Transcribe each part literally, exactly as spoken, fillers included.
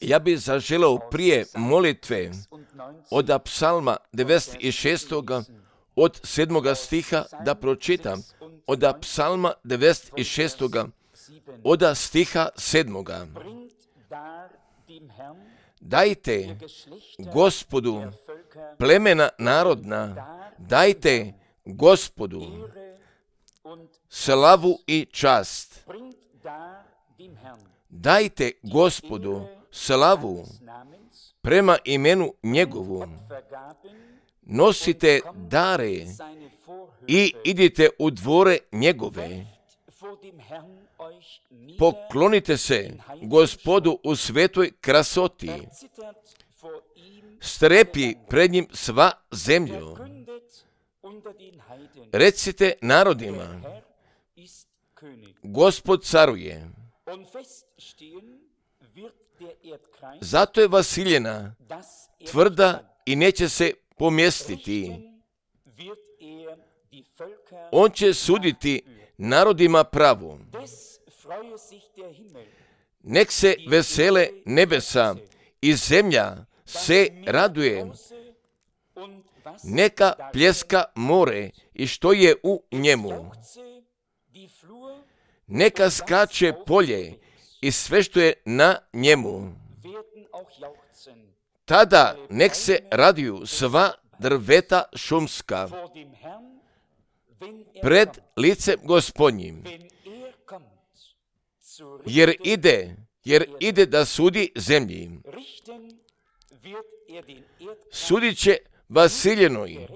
Ja bih zaželeo prije molitve od psalma devedeset šest. od sedmoga stiha da pročitam, od psalma devedeset šest. od stiha sedmoga. Dajte Gospodu plemena narodna, dajte Gospodu slavu i čast. Dajte Gospodu slavu prema imenu njegovu. Nosite dare i idite u dvore njegove. Poklonite se Gospodu u svetoj krasoti. Strepi pred njim sva zemlja. Recite narodima, Gospod caruje. Zato je vasiljena tvrda i neće se pomjestiti. On će suditi narodima pravo. Nek se vesele nebesa i zemlja se raduje. Neka pljeska more i što je u njemu. Neka skače polje i sve što je na njemu. Tada nek se raduju sva drveta šumska pred licem Gospodnjim, jer ide, jer ide da sudi zemlji. Sudit će vasiljenoj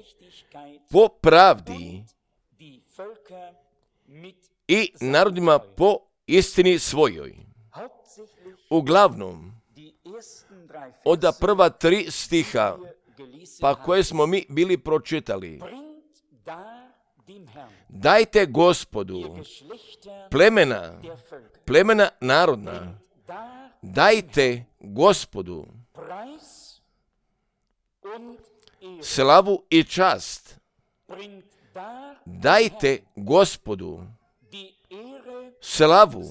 po pravdi i narodima po istini svojoj. Uglavnom, od prva tri stiha, pa koje smo mi bili pročitali. Dajte Gospodu plemena, plemena narodna, dajte Gospodu slavu i čast. Dajte Gospodu slavu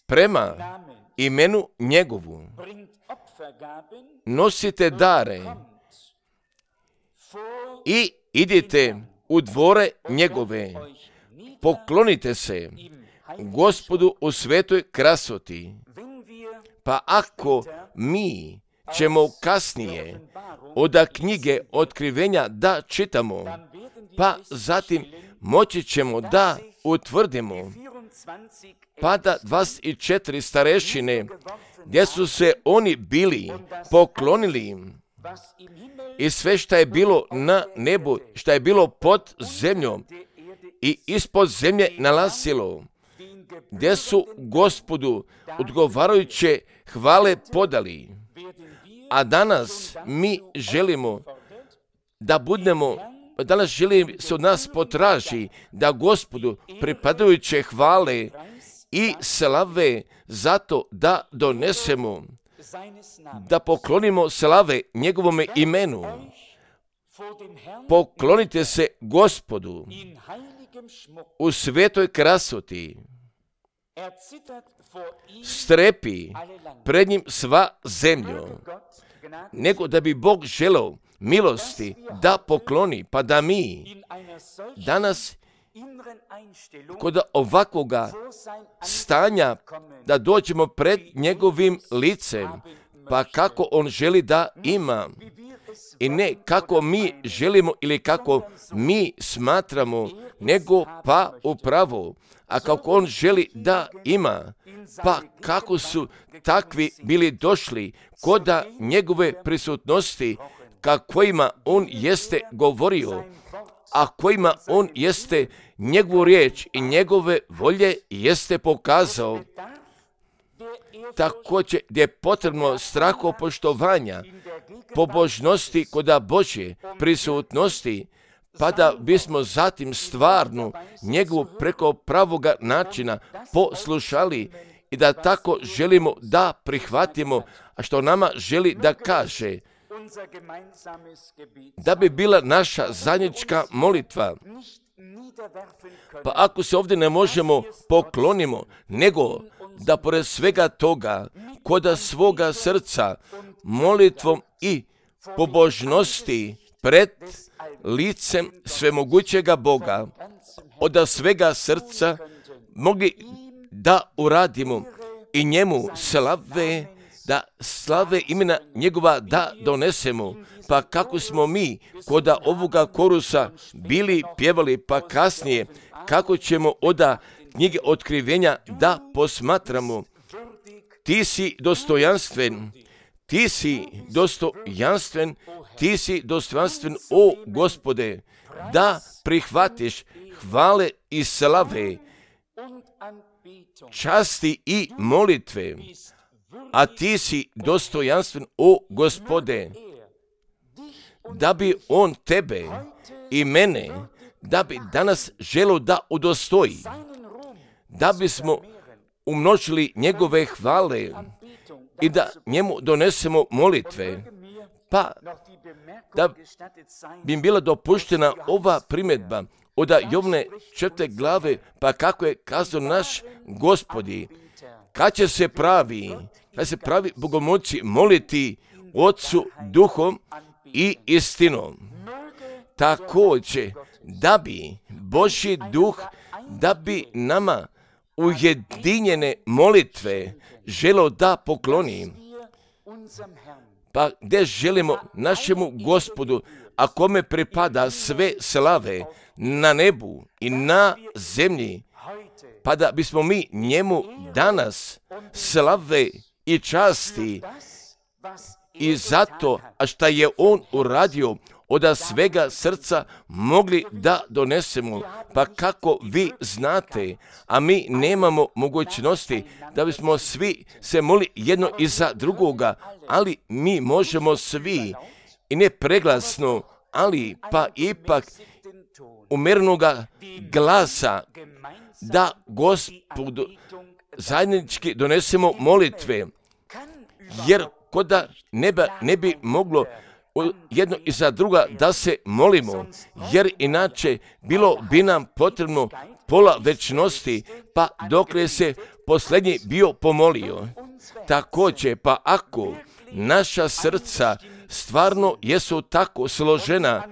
prema imenu njegovu. Nosite dare i idite u dvore njegove. Poklonite se Gospodu u svetoj krasoti. Pa ako mi ćemo kasnije od knjige otkrivenja da čitamo, pa zatim moći ćemo da utvrdimo pa da dvadeset četiri starešine, gdje su se oni bili poklonili i sve što je bilo na nebu, što je bilo pod zemljom i ispod zemlje nalazilo, gdje su Gospodu odgovarajuće hvale podali. A danas mi želimo da budemo, danas želim se od nas potraži da Gospodu pripadajuće hvale i slave zato da donesemo, da poklonimo slave njegovome imenu. Poklonite se Gospodu u svetoj krasoti. Strepi pred njim sva zemlja. Nego da bi Bog želeo milosti da pokloni, pa da mi danas kod ovakvoga stanja da dođemo pred njegovim licem, pa kako on želi da ima i ne kako mi želimo ili kako mi smatramo, nego pa upravo, a kako on želi da ima, pa kako su takvi bili došli kod njegove prisutnosti, kakvima on jeste govorio, a kojima on jeste njegovu riječ i njegove volje jeste pokazao. Također gdje je potrebno strahopoštovanja, pobožnosti koda Božje prisutnosti, pa da bismo zatim stvarno njegovu preko pravoga načina poslušali i da tako želimo da prihvatimo, a što nama želi da kaže. da bi bila naša zajednička molitva. Pa ako se ovdje ne možemo poklonimo, nego da pored svega toga, koda svoga srca, molitvom i pobožnosti pred licem svemogućega Boga, od svega srca mogli da uradimo i njemu slave, da slave imena njegova da donesemo. Pa kako smo mi koda ovoga korusa bili pjevali, pa kasnije kako ćemo oda knjige otkrivenja da posmatramo. Ti si dostojanstven, ti si dostojanstven, ti si dostojanstven, o Gospode, da prihvatiš hvale i slave, časti i molitve, a ti si dostojanstven, o Gospode, da bi on tebe i mene, da bi danas želio da udostoji, da bismo umnožili njegove hvale i da njemu donesemo molitve, pa da bi im bila dopuštena ova primjedba od Jovne četvrte glave, pa kako je kazao naš Gospodi, kad će se pravi, kad se pravi bogomolci moliti Otcu duhom i istinom. Također, da bi Božji duh, da bi nama ujedinjene molitve želio da pokloni. Pa gdje želimo našemu Gospodu, a kome pripada sve slave na nebu i na zemlji, pa da bismo mi njemu danas slave i časti i zato, a šta je on uradio, od svega srca mogli da donesemo. Pa kako vi znate, a mi nemamo mogućnosti da bismo svi se molili jedno iza drugoga, ali mi možemo svi i ne preglasno, ali pa ipak umjerenoga glasa da Gospodu zajednički donesemo molitve, jer koda neba ne bi moglo jedno iza druga da se molimo, jer inače bilo bi nam potrebno pola večnosti, pa dokle se posljednji bio pomolio. Također, pa ako naša srca stvarno jesu tako složena,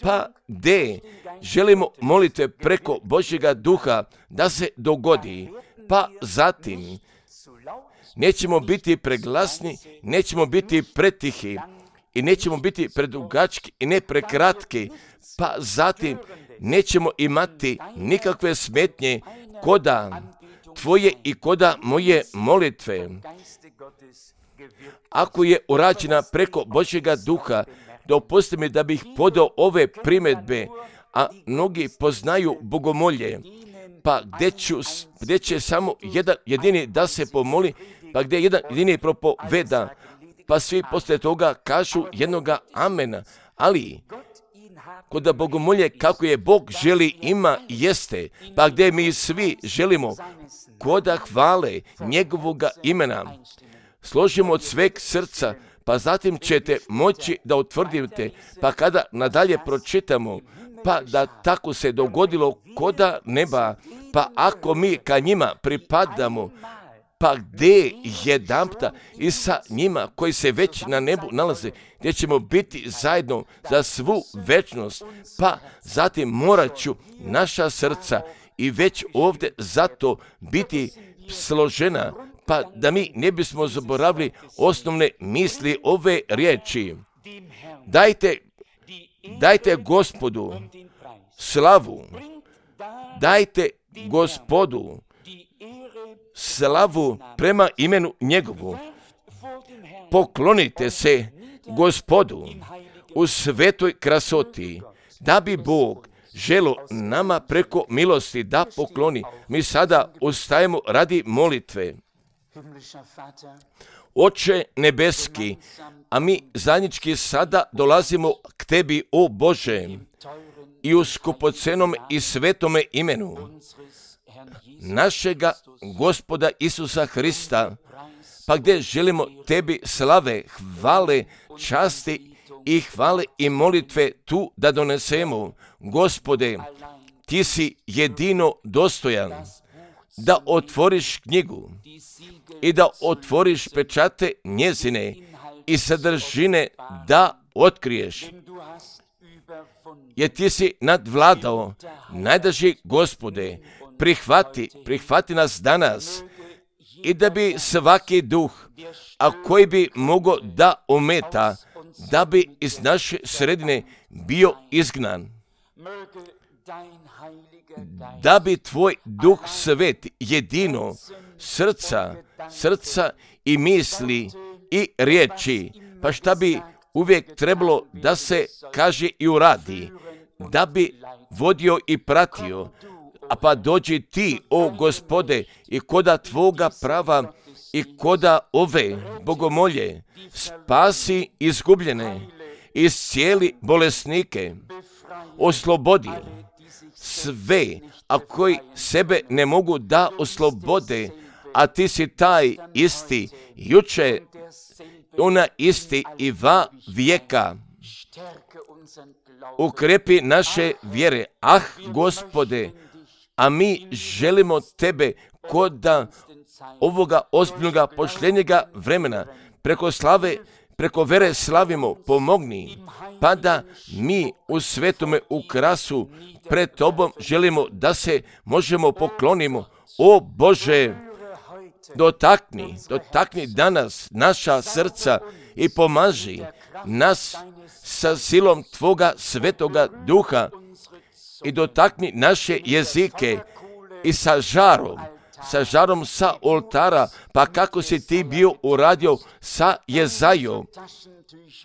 pa gdje želimo molite preko Božjega duha da se dogodi, pa zatim nećemo biti preglasni, nećemo biti pretihi i nećemo biti predugački i ne prekratki, pa zatim nećemo imati nikakve smetnje koda tvoje i koda moje molitve. Ako je urađena preko Božjega duha, dopusti mi da bih podao ove primjedbe, a mnogi poznaju bogomolje, pa gdje, ću, gdje će samo jedan jedini da se pomoli, pa gdje jedan jedini propoveda, pa svi poslije toga kažu jednoga amena, ali kod bogomolje kako je Bog želi ima jeste, pa gdje mi svi želimo koda hvale njegovoga imena, složimo od sveg srca, pa zatim ćete moći da utvrdite, pa kada nadalje pročitamo, pa da tako se dogodilo koda neba, pa ako mi ka njima pripadamo, pa gdje jedanputa i sa njima koji se već na nebu nalaze, gdje ćemo biti zajedno za svu večnost, pa zatim morat ću naša srca i već ovdje zato biti složena, pa da mi ne bismo zaboravili osnovne misli ove riječi. Dajte, dajte Gospodu slavu, dajte Gospodu slavu prema imenu njegovu. Poklonite se Gospodu u svetoj krasoti, da bi Bog želo nama preko milosti da pokloni. Mi sada ustajemo radi molitve. Oče nebeski, a mi zajednički sada dolazimo k tebi, o Bože, i u skupocenom i svetome imenu našega Gospoda Isusa Hrista, pa gdje želimo tebi slave, hvale, časti i hvale i molitve tu da donesemo. Gospode, ti si jedino dostojan da otvoriš knjigu i da otvoriš pečate njezine i sadržine da otkriješ. Jer ti si nadvladao, najdraži Gospode, prihvati, prihvati nas danas i da bi svaki duh, a koji bi mogao da ometa, da bi iz naše sredine bio izgnan. Da bi tvoj duh svet jedino srca, srca i misli i riječi, pa šta bi uvijek trebalo da se kaže i uradi, da bi vodio i pratio, a pa dođi ti, o Gospode, i koda tvoga prava i koda ove bogomolje, spasi izgubljene, iscijeli bolesnike, oslobodi sve, a koji sebe ne mogu da oslobode, a ti si taj isti, juče, ona isti i va vijeka. Ukrepi naše vjere, ah Gospode, a mi želimo tebe koda ovoga ozbiljnoga pošljenjega vremena, preko slave, preko vere slavimo, pomogni, pa da mi u svetome ukrasu pred tobom želimo da se možemo poklonimo. O Bože, dotakni, dotakni danas naša srca i pomaži nas sa silom tvoga svetoga duha i dotakni naše jezike i sa žarom, sa žarom sa oltara, pa kako si ti bio uradio sa Jezajom,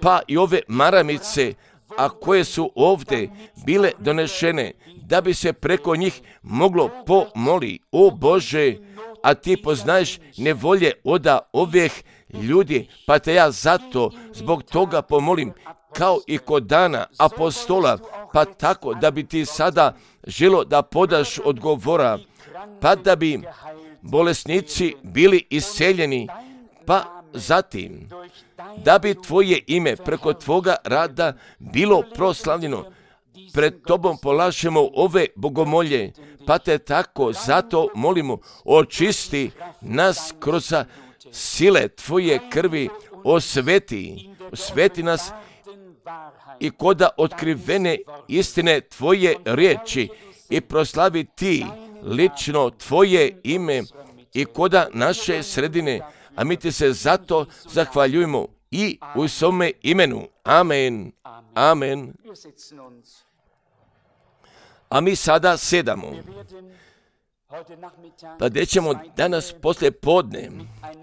pa i ove maramice, a koje su ovdje bile donešene, da bi se preko njih moglo pomoli. O Bože, a ti poznaješ nevolje oda ovih ljudi, pa te ja zato zbog toga pomolim, kao i kod dana apostola, pa tako da bi ti sada želo da podaš odgovora, pa da bi bolesnici bili isceljeni, pa zatim da bi tvoje ime preko tvoga rada bilo proslavljeno. Pred tobom polažemo ove bogomolje, pa te tako zato molimo, očisti nas kroz sile tvoje krvi, osveti, osveti nas i koda otkrivene istine tvoje riječi i proslavi ti lično tvoje ime i koda naše sredine, a mi ti se zato zahvaljujemo i u svome imenu. Amen. Amen. A mi sada sedamo. Pa gdje ćemo danas poslije podne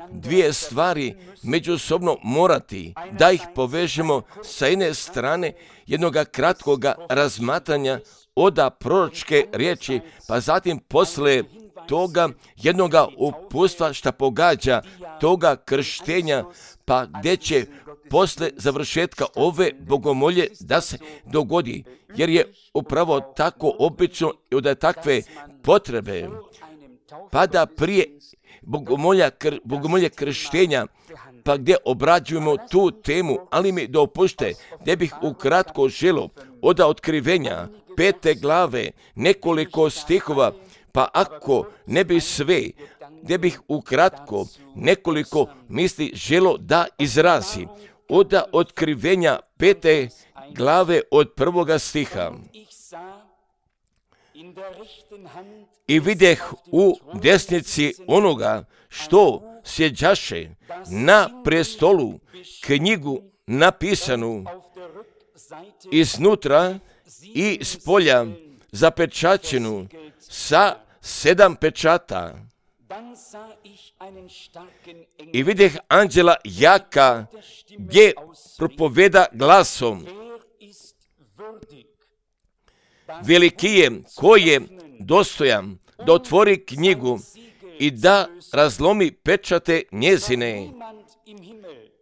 dvije stvari međusobno morati da ih povežemo sa jedne strane jednoga kratkoga razmatranja oda proročke riječi, pa zatim poslije toga jednoga upustva šta pogađa toga krštenja, pa gdje će posle završetka ove bogomolje da se dogodi, jer je upravo tako obično i da takve potrebe, pa da prije bogomolja, kr, bogomolje krštenja, pa gdje obrađujemo tu temu, ali mi dopušte, gdje bih ukratko želo od otkrivenja pete glave nekoliko stihova, pa ako ne bi sve, gdje bih ukratko nekoliko misli želo da izrazi od otkrivenja pete glave od prvoga stiha. I videh u desnici onoga što sjeđaše na prestolu knjigu napisanu iznutra i spolja zapečaćenu sa sedam pečata. I videh anđela jaka gdje propoveda glasom: veliki je ko je dostojan da otvori knjigu i da razlomi pečate njezine.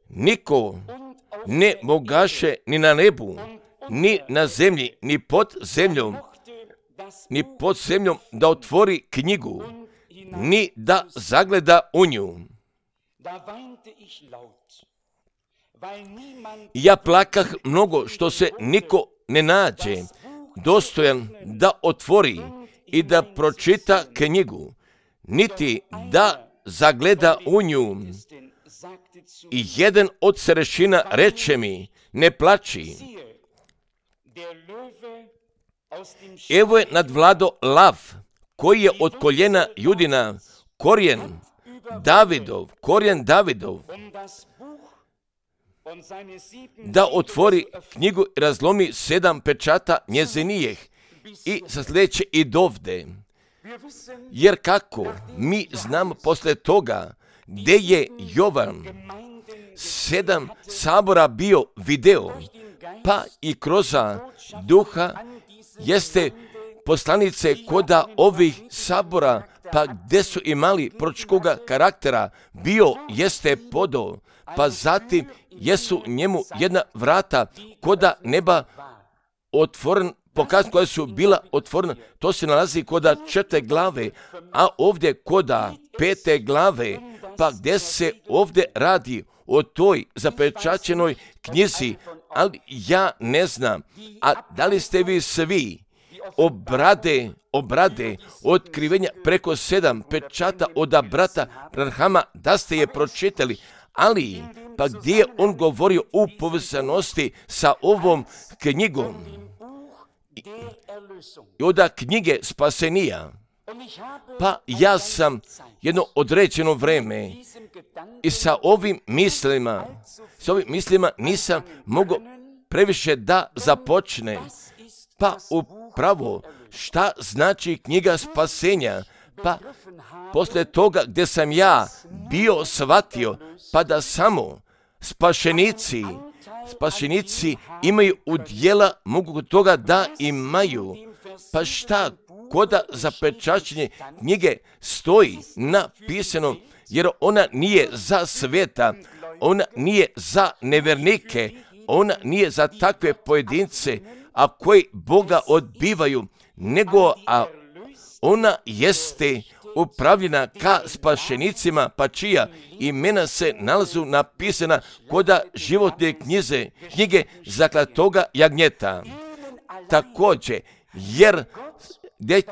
Niko ne mogaše ni na nebu, ni na zemlji, ni pod zemljom, ni pod zemljom da otvori knjigu, ni da zagleda u nju. Ja plakah mnogo što se niko ne nađe dostojan da otvori i da pročita knjigu, niti da zagleda u nju. I jedan od starešina reče mi, ne plači. Evo je nadvlado lav, koji je od koljena Judina, korijen Davidov, korijen Davidov, da otvori knjigu i razlomi sedam pečata njezinijih i sa sljedeće i dovde. Jer kako mi znamo posle toga gdje je Jovan sedam sabora bio video, pa i kroz duha jeste poslanice koda ovih sabora, pa gdje su imali proročkoga karaktera, bio jeste podo, pa zatim jesu njemu jedna vrata koda neba otvoren, pokaz koja su bila otvorena, to se nalazi koda četvrte glave, a ovdje koda pete glave, pa gdje se ovdje radi o toj zapečaćenoj knjizi, ali ja ne znam, a da li ste vi svi obrade, obrade otkrivenja preko sedam pečata od brata Branhama, da ste je pročitali, ali pa gdje je on govorio u povezanosti sa ovom knjigom i od knjige spasenija. Pa ja sam jedno određeno vreme i sa ovim mislima, sa ovim mislima nisam mogao previše da započne. Pa upravo šta znači knjiga spasenja? Pa posle toga gdje sam ja bio shvatio, pa da samo spašenici, spašenici imaju udjela, mogu kod toga da imaju. Pa šta koda zapečaćenje knjige stoji napisano, jer ona nije za sveta, ona nije za nevernike, ona nije za takve pojedince, a koji Boga odbivaju, nego a ona jeste upravljena ka spašenicima, pa čija imena se nalazu napisana koda životne knjize, knjige zaklatoga jagnjeta. Također, jer,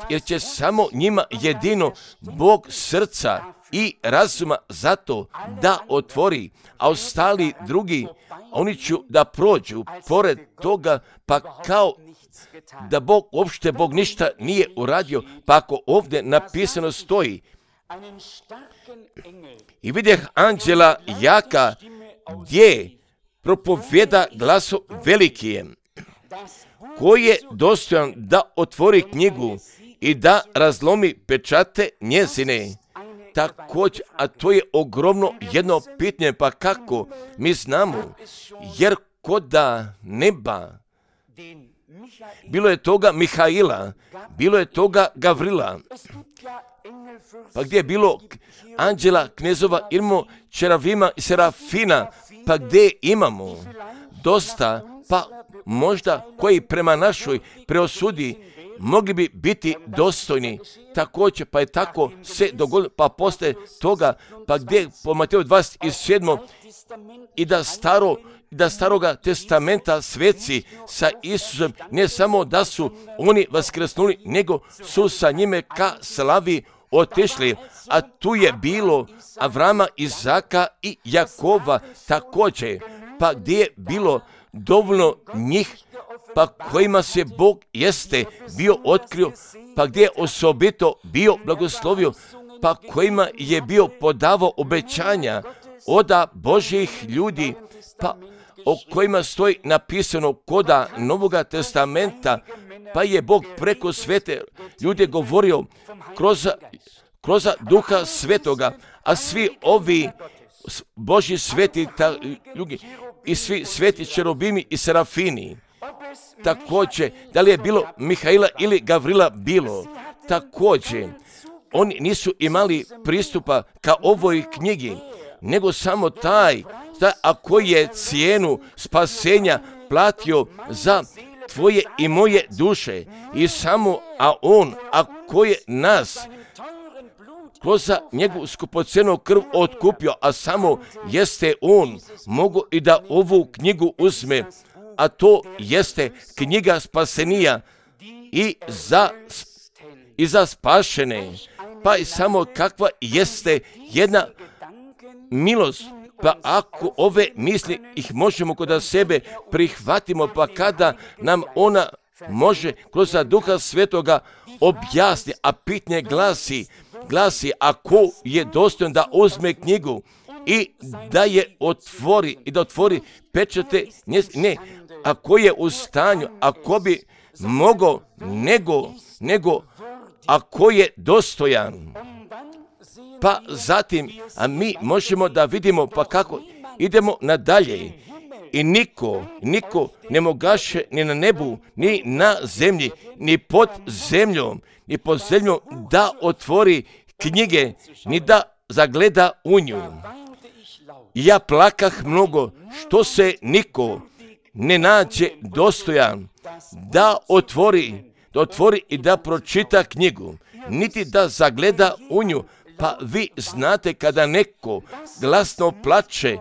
jer će samo njima jedino Bog srca i razuma zato da otvori, a ostali drugi, oni će da prođu pored toga, pa kao da Bog, uopšte Bog ništa nije uradio, pa ako ovdje napisano stoji, i vidjeh anđela jaka gdje propovjeda glasom velikijem, koji je dostojan da otvori knjigu i da razlomi pečate njezine. Također, a to je ogromno jedno pitanje, pa kako mi znamo, jer koda neba, bilo je toga Mihaila, bilo je toga Gavrila, pa gdje je bilo anđela, knezova, imamo čeravima i serafina, pa gdje imamo dosta, pa možda koji prema našoj preosudi mogli bi biti dostojni. Također, pa je tako se dogodilo, pa posle toga, pa gdje po Mateju dvadeset sedam i da staro da staroga testamenta sveci sa Isusom, ne samo da su oni vaskrsnuli, nego su sa njime ka slavi otišli, a tu je bilo Avrama, Izaka i Jakova također, pa gdje je bilo dovoljno njih, pa kojima se Bog jeste bio otkrio, pa gdje je osobito bio blagoslovio, pa kojima je bio podavao obećanja od Božjih ljudi, pa o kojima stoji napisano koda Novoga testamenta, pa je Bog preko svete ljude govorio kroz, kroz duha svetoga, a svi ovi Božji sveti ta, ljudi, i svi sveti čerubimi i serafini, također, da li je bilo Mihaila ili Gavrila bilo, također, oni nisu imali pristupa ka ovoj knjigi, nego samo taj, taj a koji je cijenu spasenja platio za tvoje i moje duše, i samo, a on, a koji nas ko za njegovu skupocenu krv otkupio, a samo jeste on, mogu i da ovu knjigu uzme, a to jeste knjiga spasenija i za, i za spašene. Pa i samo kakva jeste jedna milost, pa ako ove misli ih možemo kod sebe prihvatimo, pa kada nam ona može kroz Duha Svetoga objasni, a pitanje glasi, glasi ako je dostojan da uzme knjigu i da je otvori i da otvori pečate, ne, ako je u stanju, ako bi mogao, nego, nego ako je dostojan. Pa zatim, a mi možemo da vidimo pa kako idemo nadalje. I niko, niko ne mogaše ni na nebu, ni na zemlji, ni pod zemljom, ni pod zemljom da otvori knjige, ni da zagleda u nju. I ja plakah mnogo, što se niko ne nađe dostojan da otvori, da otvori i da pročita knjigu, niti da zagleda u nju. Pa vi znate kada neko glasno plače,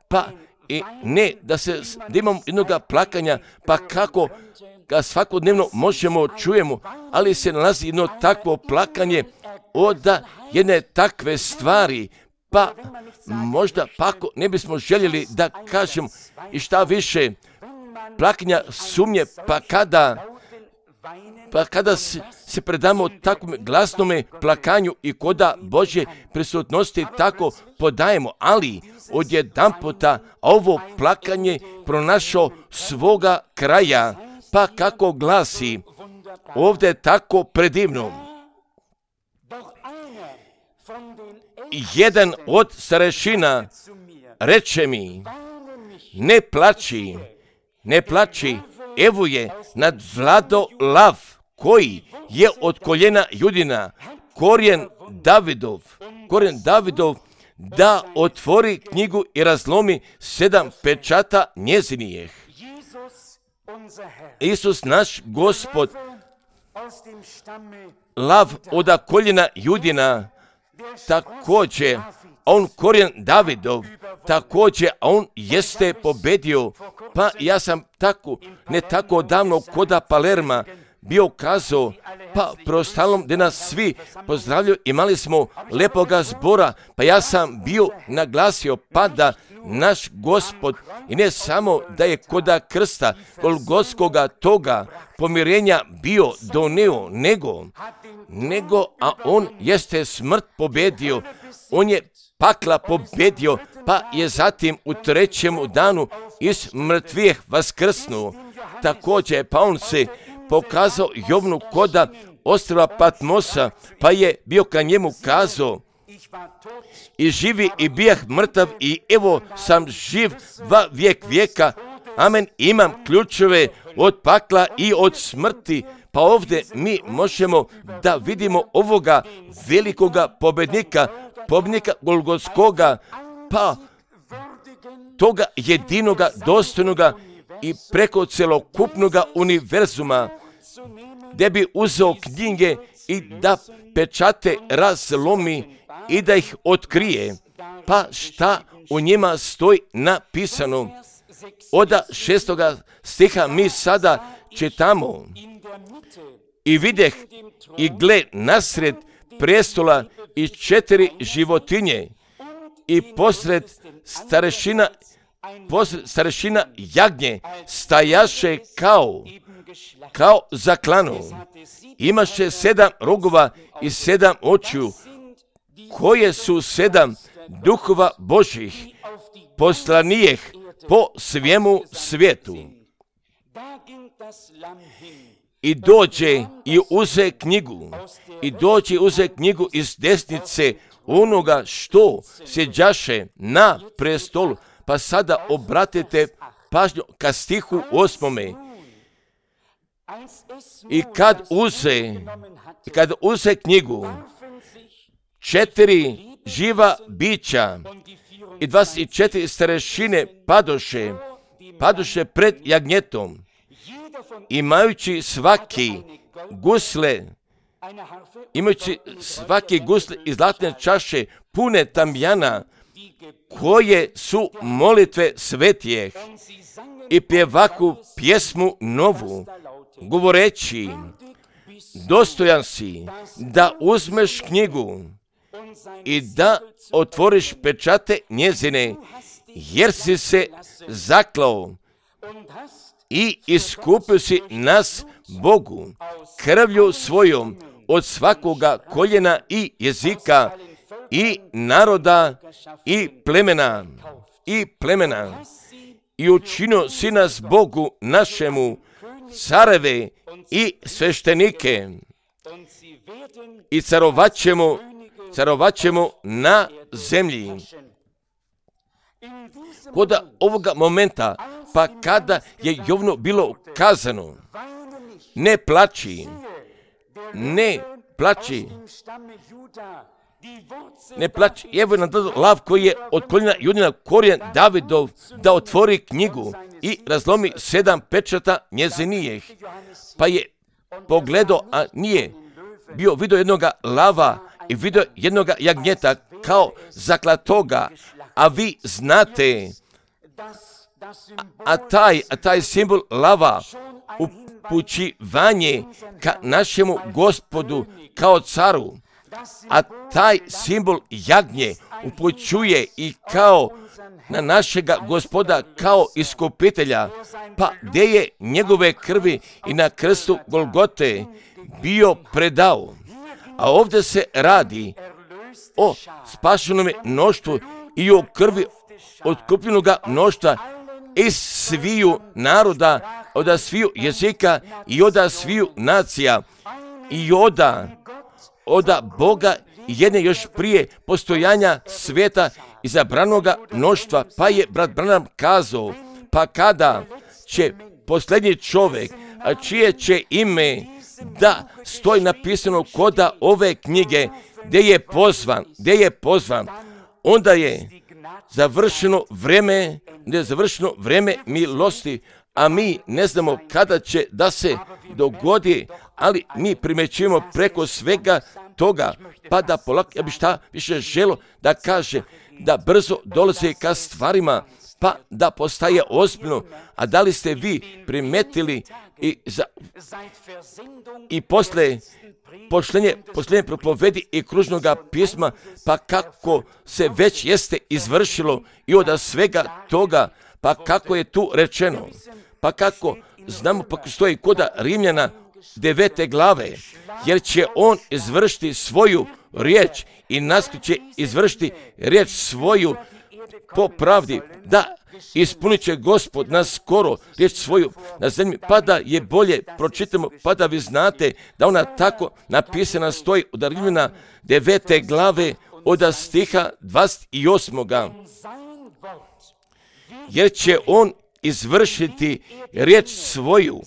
pa i ne da se da imamo jednog plakanja, pa kako ga svakodnevno možemo čujemo, ali se nalazi jedno takvo plakanje od jedne takve stvari, pa možda pa ako ne bismo željeli da kažemo i šta više plakanja sumnje, pa kada Pa kada se, se predamo takvom glasnome plakanju i koda Božje prisutnosti tako podajemo, ali odjedanputa ovo plakanje pronašao svoga kraja, pa kako glasi ovdje tako predivno. Jedan od starešina reče mi, ne plači, ne plači, evo je nadvlado lav koji je od koljena Judina, korijen Davidov, korijen Davidov, da otvori knjigu i razlomi sedam pečata njezinijeh. Isus naš Gospod, lav od koljena Judina, također, on korijen Davidov, također, on jeste pobedio, pa ja sam tako, ne tako davno koda Palerma bio kazao, pa preostalom gdje nas svi pozdravljaju, imali smo lepoga zbora, pa ja sam bio naglasio, pa da naš Gospod, i ne samo da je koda krsta, golgotskoga toga pomirenja bio doneo, nego, nego, a on jeste smrt pobedio, on je pakla pobedio, pa je zatim u trećem danu iz mrtvih vaskrsnuo. Također, pa on se pokazao Jovnu koda ostrva Patmosa, pa je bio ka njemu kazao, i živi i bijah mrtav i evo sam živ va vijek vijeka, amen, imam ključeve od pakla i od smrti. Pa ovdje mi možemo da vidimo ovoga velikoga pobednika, pobednika Golgotskoga, pa toga jedinoga, dostojnoga i preko celokupnoga univerzuma, gdje bi uzeo knjige i da pečate razlomi i da ih otkrije. Pa šta u njima stoji napisano? Od šestoga stiha mi sada čitamo. I videh i gle nasred prestola i četiri životinje i posred starešina, posred starešina jagnje stajaše kao, kao zaklano. Imaše sedam rogova i sedam očiju, koje su sedam duhova Božih, poslanijeh po svijemu svijetu. I dođe i uze knjigu, i dođe i uze knjigu iz desnice onoga što sjeđaše na prestolu. Pa sada obratite pažnju ka stihu osmome. I kad uze, i kad uze knjigu, četiri živa bića i dvadeset četiri starešine padoše, padoše pred jagnjetom, imajući svaki gusle imajući svaki gusli i zlatne čaše pune tamjana, koje su molitve svetijeh, i pjevaku pjesmu novu, govoreći, dostojan si da uzmeš knjigu i da otvoriš pečate njezine, jer si se zaklao i iskupio si nas Bogu krvlju svojom od svakoga koljena i jezika i naroda i plemena i plemena i učinio si nas Bogu našemu careve i sveštenike i carovaćemo, carovaćemo na zemlji. Kod ovoga momenta, pa kada je Jovnu bilo kazano, ne plači, ne plači, ne plači, evo je nam dao lav koji je od koljena Judina korijen Davidov da otvori knjigu i razlomi sedam pečata njezinijeh. Pa je pogledao, a nije bio vidio jednoga lava i vidio jednoga jagnjeta kao zaklatoga, a vi znate, a, a, taj, a taj simbol lava upućivanje ka našemu Gospodu kao caru, a taj simbol jagnje upućuje i kao na našega Gospoda kao iskupitelja, pa gdje je njegove krvi i na krstu Golgote bio predao. A ovdje se radi o spašenome mnoštvu i o krvi otkupljenoga mnoštva iz sviju naroda, od sviju jezika i od sviju nacija i od oda Boga jedne još prije postojanja svijeta izabranoga mnoštva. Pa je brat Branham kazao, pa kada će posljednji čovjek, a čije će ime da stoji napisano koda ove knjige, gdje je pozvan, gdje je pozvan, onda je završeno vrijeme, gdje je završeno vrijeme milosti, a mi ne znamo kada će da se dogodi, ali mi primjećujemo preko svega toga, pa da polako, ja bi šta više želo da kaže, da brzo dolaze ka stvarima, pa da postaje ozbiljno. A da li ste vi primetili i, za, i posle pošlenje, posljednje propovedi i kružnoga pisma, pa kako se već jeste izvršilo i od svega toga, pa kako je tu rečeno, pa kako znamo, pa stoji koda Rimljana devete glave, jer će on izvršiti svoju riječ i nas će izvršiti riječ svoju po pravdi, da ispunit će Gospod na skoro riječ svoju na zemlji, pa da je bolje pročitamo, pa da vi znate da ona tako napisana stoji od Rimljana devete glave od stiha dvadeset osmog Jer će on izvršiti riječ svoju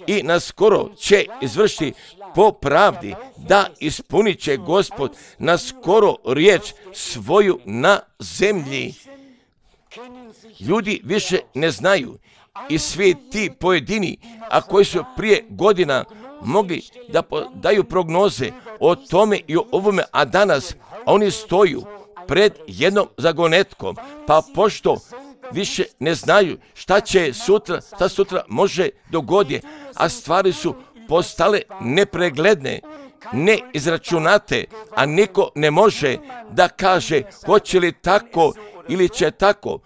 i naskoro će izvršiti po pravdi, da ispunit će Gospod naskoro riječ svoju na zemlji. Ljudi više ne znaju i svi ti pojedini, a koji su prije godina mogli da daju prognoze o tome i o ovome, a danas oni stoju pred jednom zagonetkom, pa pošto više ne znaju šta će sutra, šta sutra može dogoditi, a stvari su postale nepregledne, neizračunate, a niko ne može da kaže hoće li tako ili će tako.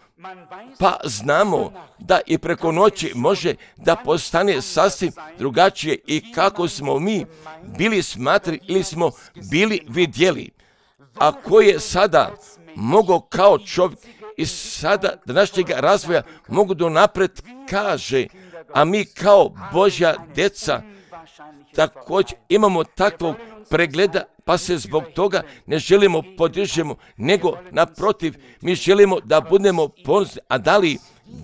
Pa znamo da i preko noći može da postane sasvim drugačije i kako smo mi bili smatrali ili smo bili vidjeli. A ko je sada mogao kao čovjek i sada današnjeg razvoja mogu do napred kaže, a mi kao Božja djeca također imamo takvog pregleda, pa se zbog toga ne želimo podižemo, nego naprotiv, mi želimo da budemo ponosni. A da li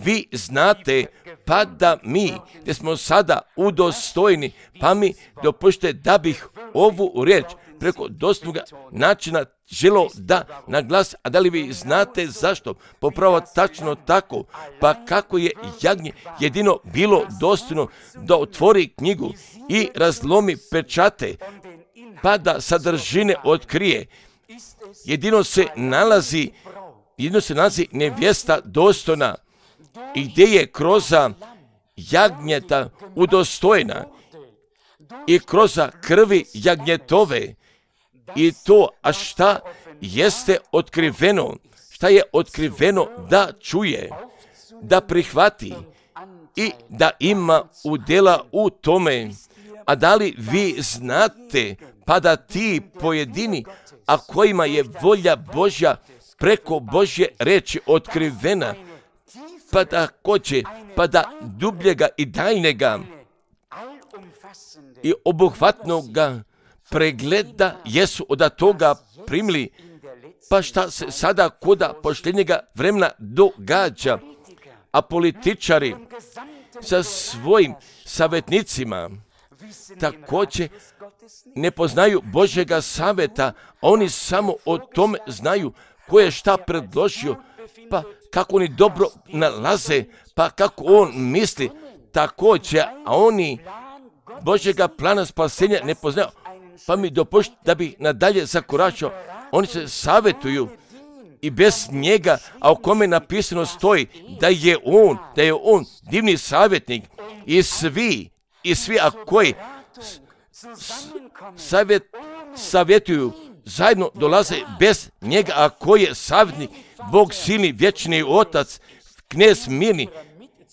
vi znate, pa da mi, gdje smo sada udostojni, pa mi dopušte da bih ovu riječ preko dostupnoga načina želo da naglas, a da li vi znate zašto? Popravo tačno tako, pa kako je jagnje jedino bilo dostojno da otvori knjigu i razlomi pečate pa da sadržine otkrije. Jedino se nalazi, jedino se nalazi nevjesta dostojna i gdje je kroz jagnjeta udostojena i kroz krvi jagnjetove. I to, a šta jeste otkriveno, šta je otkriveno da čuje, da prihvati i da ima udjela u tome. A da li vi znate, pa da ti pojedini, a kojima je volja Božja preko Božje reči otkrivena, pa da hoće, pa da dubljega i daljnjega i obuhvatnoga pregleda jesu od toga primili, pa šta se sada koda poštenjega vremena događa, a političari sa svojim savjetnicima također ne poznaju Božjega savjeta, oni samo o tome znaju ko je šta predložio, pa kako oni dobro nalaze, pa kako on misli također, a oni Božjega plana spasenja ne poznaju. Pa mi dopušti da bih nadalje zakoračio, oni se savjetuju i bez njega, a o kome napisano stoji da je on, da je on divni savjetnik i svi, i svi a koji savjet, savjetuju, zajedno dolaze bez njega, a koji je savjetnik, Bog silni, vječni Otac, knez mirni,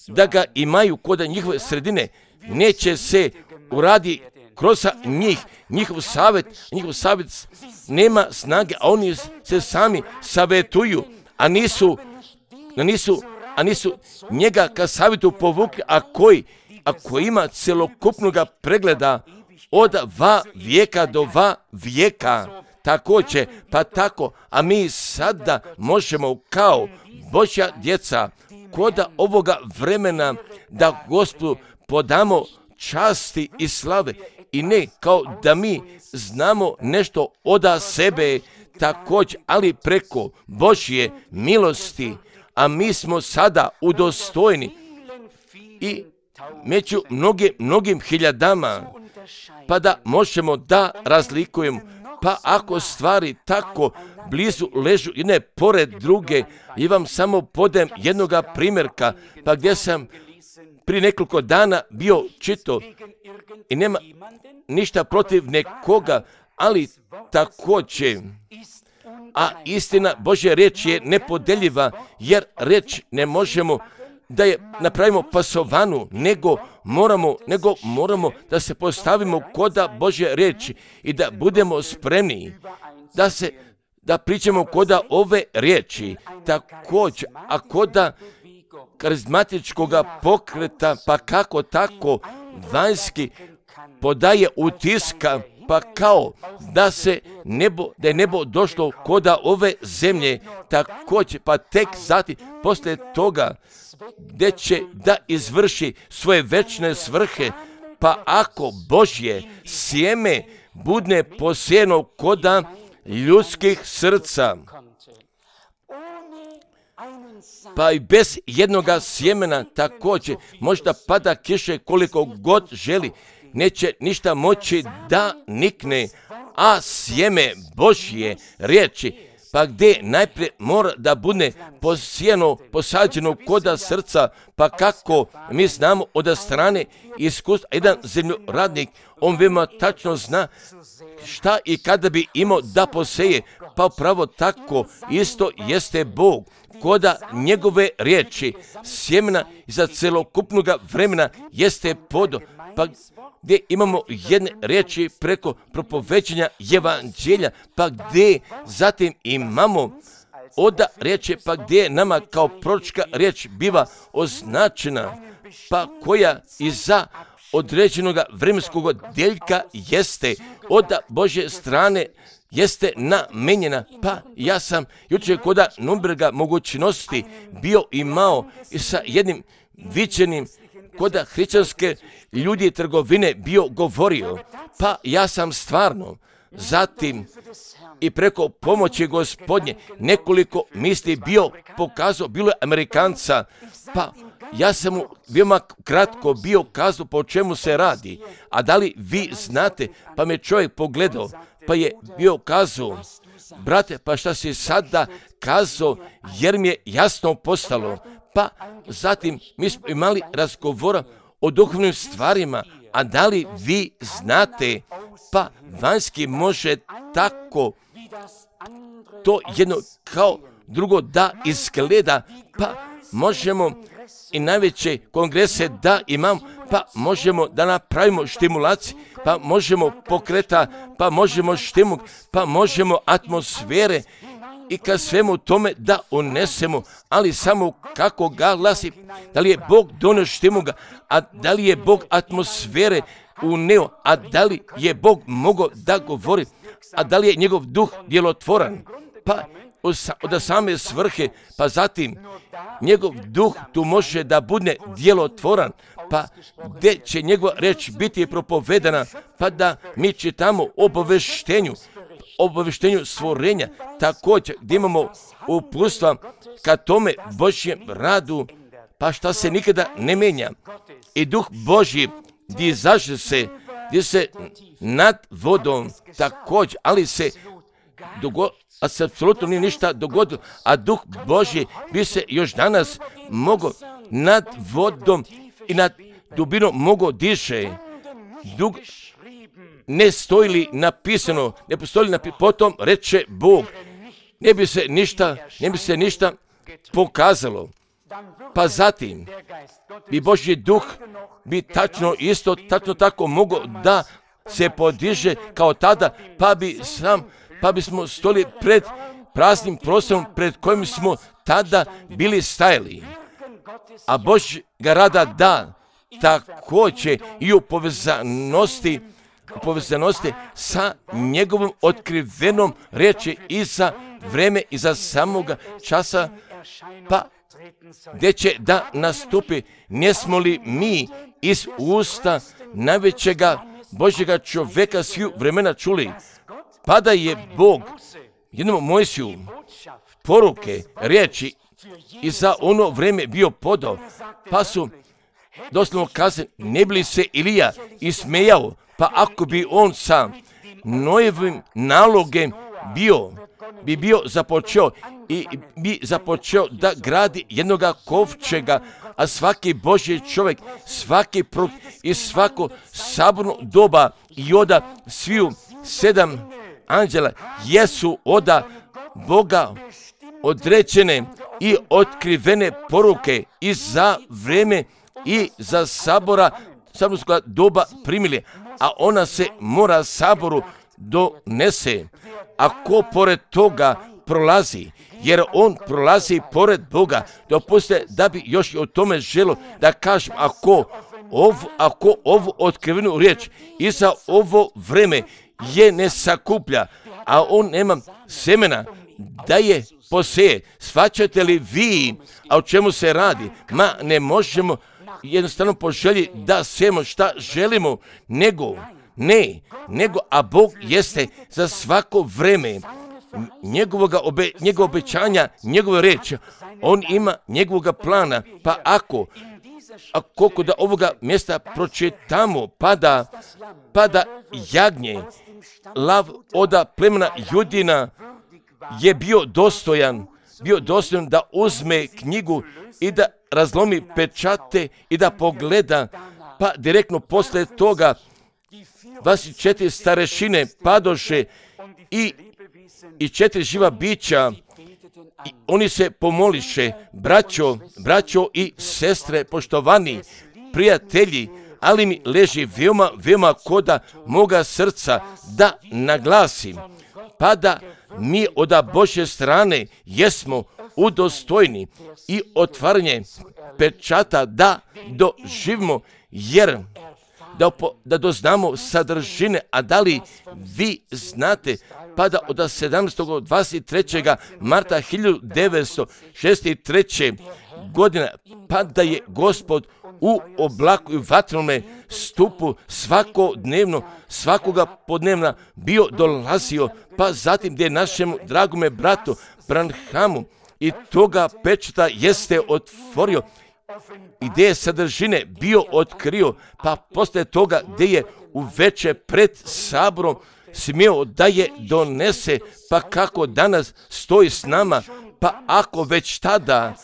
da ga imaju kod njihove sredine, neće se uradi kroz njih, njihov savjet, njihov savjet nema snage, a oni se sami savjetuju, a nisu, a nisu, a nisu njega ka savjetu povukli, a koji, a koji ima celokupnog pregleda od va vijeka do va vijeka. Također, pa tako, a mi sada možemo kao Božja djeca kod ovoga vremena da Gospodu podamo časti i slave i ne kao da mi znamo nešto od sebe također, ali preko Božje milosti, a mi smo sada udostojni i među mnogim, mnogim hiljadama, pa da možemo da razlikujemo. Pa ako stvari tako blizu ležu jedne pored druge, i vam samo podajem jednoga primjerka, pa gdje sam prije nekoliko dana bio čito i nema ništa protiv nekoga, ali također, a istina Božja riječ je nepodeljiva, jer riječ ne možemo da je napravimo pasovanu, nego moramo, nego moramo da se postavimo koda Božje riječi i da budemo spremni da se da pričamo koda ove riječi, također, a koda karizmatičkog pokreta, pa kako tako vanjski podaje utiska, pa kao da se nebo, da je nebo došlo koda ove zemlje, također, pa tek zatim poslije toga gdje će da izvrši svoje večne svrhe, pa ako Božje sjeme budne posijeno koda ljudskih srca, pa i bez jednoga sjemena također možda pada kiše koliko god želi, neće ništa moći da nikne, a sjeme Božje riječi, pa gdje najprije mora da bude posijeno, posađeno koda srca, pa kako mi znamo od strane iskustva, jedan zemljoradnik, on veoma tačno zna šta i kada bi imao da poseje, pa upravo tako isto jeste Bog, koda njegove riječi, sjemena iza celokupnog vremena jeste podo, pa gdje imamo jedne riječi preko propoveđenja evanđelja, pa gdje zatim imamo oda riječi, pa gdje nama kao proročka riječ biva označena, pa koja iza određenog vremenskog deljka jeste od Božje strane jeste namenjena. Pa ja sam jučer koda Nürnberga mogućnosti bio imao i sa jednim viđenim koda hrišćanske ljudi trgovine bio govorio, pa ja sam stvarno zatim i preko pomoći Gospodnje nekoliko misli bio pokazao, bilo je Amerikanca, pa Ja sam mu veoma kratko bio kazao po čemu se radi, a da li vi znate, pa me čovjek pogledao, pa je bio kazao, brate, pa šta si sada kazao, jer mi je jasno postalo. Pa zatim mi smo imali razgovora o duhovnim stvarima, a da li vi znate, pa vanjski može tako to jedno kao drugo da izgleda, pa možemo i najveće kongrese da imamo, pa možemo da napravimo stimulaciju, pa možemo pokreta, pa možemo štimu, pa možemo atmosfere i ka svemu tome da unesemo, ali samo kako ga glasi, da li je Bog donio štimu ga, a da li je Bog atmosfere uneo, a da li je Bog mogao da govori, a da li je njegov duh djelotvoran, pa od same svrhe, pa zatim njegov duh tu može da bude djelotvoran, pa gdje će njegova reč biti propovedana, pa da mi čitamo obaveštenju, obaveštenju stvorenja, također gdje imamo uputstva ka tome Božjem radu, pa šta se nikada ne menja. I duh Božji gdje zaže se, gdje se nad vodom također, ali se dogodilo, a se apsolutno nije ništa dogodilo, a duh Božji bi se još danas mogao nad vodom i nad dubinom mogao diše. Dug ne stoji li napisano, ne postoji li napisano, potom reče Bog, ne bi se ništa, ne bi se ništa pokazalo. Pa zatim bi Božji duh bi tačno isto, tačno tako mogao da se podiže kao tada, pa bi sam pa bismo stoli pred praznim prostorom pred kojim smo tada bili stajali. A Božjega rada da također i u povezanosti, u povezanosti sa njegovom otkrivenom reči i za vreme i za samoga časa, pa gdje će da nastupi, ne smo li mi iz usta najvećega Božjega čovjeka sviju vremena čuli, pa da je Bog jednom Mojsiju poruke, riječi i za ono vrijeme bio podao, pa su doslovno kazali, ne bi li se Ilija ismejao, pa ako bi on sa Nojevim nalogem bio, bi bio započeo i bi započeo da gradi jednoga kovčega, a svaki Božji čovjek, svaki prut i svako saborno doba i oda sviju sedam anđela jesu oda Boga određene i otkrivene poruke i za vreme i za sabora saborskog doba primili, a ona se mora saboru donese. A ko pored toga prolazi, jer on prolazi pored Boga, dopustite da bi još i o tome želo da kažem, ako ov, ako ovu otkrivenu riječ i za ovo vreme je ne sakuplja, a on nema semena da je poseje. Shvaćate li vi, a o čemu se radi? Ma ne možemo jednostavno poželji da sejemo šta želimo, nego, ne, nego, a Bog jeste za svako vreme njegovoga obe, njegov obećanja, njegove reči. On ima njegovoga plana, pa ako a koliko da ovoga mjesta pročitamo, pada, pada jagnje, lav oda plemena Judina je bio dostojan, bio dostojan da uzme knjigu i da razlomi pečate i da pogleda, pa direktno posle toga dvadeset četiri starešine padoše i, i četiri živa bića, i oni se pomoliše, braćo, braćo i sestre, poštovani prijatelji, ali mi leži veoma, veoma koda moga srca da naglasim, pa da mi od Božje strane jesmo udostojni i otvaranje pečata da doživimo, jer da, da doznamo sadržine, a da li vi znate, pa da od sedamnaestog do dvadeset trećeg marta hiljadu devetsto šezdeset treće godine, pa da je Gospod u oblaku i vatrenome stupu svakodnevno, svakoga podnevna bio dolazio, pa zatim gdje našemu dragome bratu Branhamu i toga pečata jeste otvorio ideje sadržine bio otkrio, pa posle toga gdje je uveče pred saborom smio da je donese, pa kako danas stoji s nama, pa ako već tada,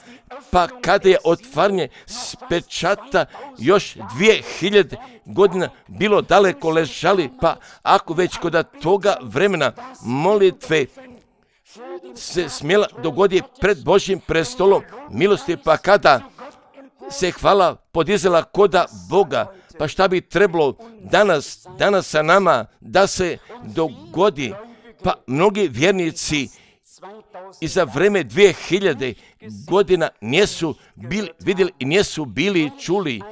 pa kada je otvaranje s pečata još dvije hiljade godina bilo daleko ležali, pa ako već kod toga vremena molitve se smjela dogodi pred Božjim prestolom milosti, pa kada se hvala podizela koda Boga, pa šta bi trebalo danas, danas sa nama da se dogodi, pa mnogi vjernici i za vreme dvije hiljade godina nisu bili, vidjeli i nisu bili čuli.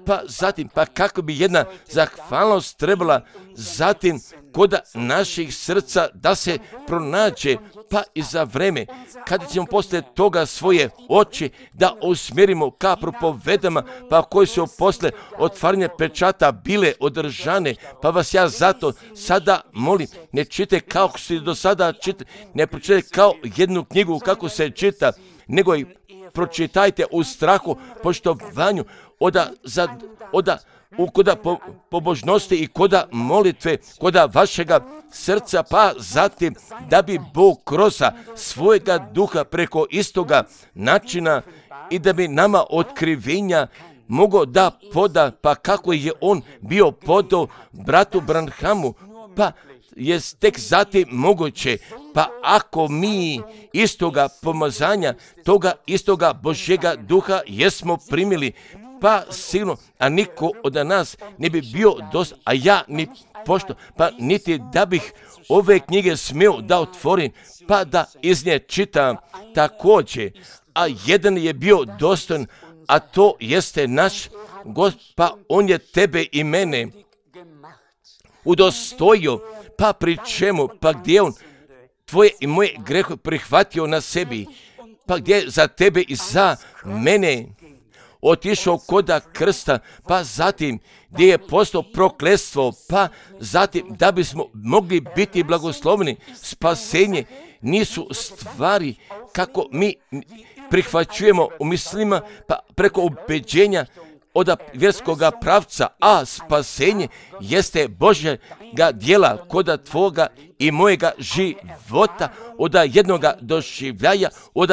Pa zatim, pa kako bi jedna zahvalnost trebala zatim koda naših srca da se pronađe, pa i za vreme kada ćemo poslije toga svoje oči da usmjerimo ka propovedama, pa koji su posle otvaranja pečata bile održane, pa vas ja zato sada molim, ne čite kao što do sada čita, ne pročitajte kao jednu knjigu kako se čita, nego i pročitajte u strahu, poštovanju, oda, za, oda u koda po, pobožnosti i koda molitve, koda vašega srca, pa zatim da bi Bog kroz svojega duha preko istoga načina i da bi nama otkrivenja mogao da poda, pa kako je on bio podao bratu Branhamu, pa je tek zatim moguće, pa ako mi istoga pomazanja, toga istoga Božjega duha jesmo primili, pa sigurno, a niko od nas ne bi bio dosta, a ja ni pošto, pa niti da bih ove knjige smio da otvorim, pa da iz nje čitam također, a jedan je bio dostojan, a to jeste naš Gospod, pa on je tebe i mene udostojio, pa pri čemu, pa gdje on tvoje i moje grehe prihvatio na sebi, pa gdje za tebe i za mene otišao koda krsta, pa zatim gdje je postao prokletstvo, pa zatim da bismo mogli biti blagoslovni. Spasenje nisu stvari kako mi prihvaćujemo u mislima, pa preko ubeđenja od vjerskoga pravca, a spasenje jeste Božjega djela koda tvoga i mojega života, od jednoga doživljaja, od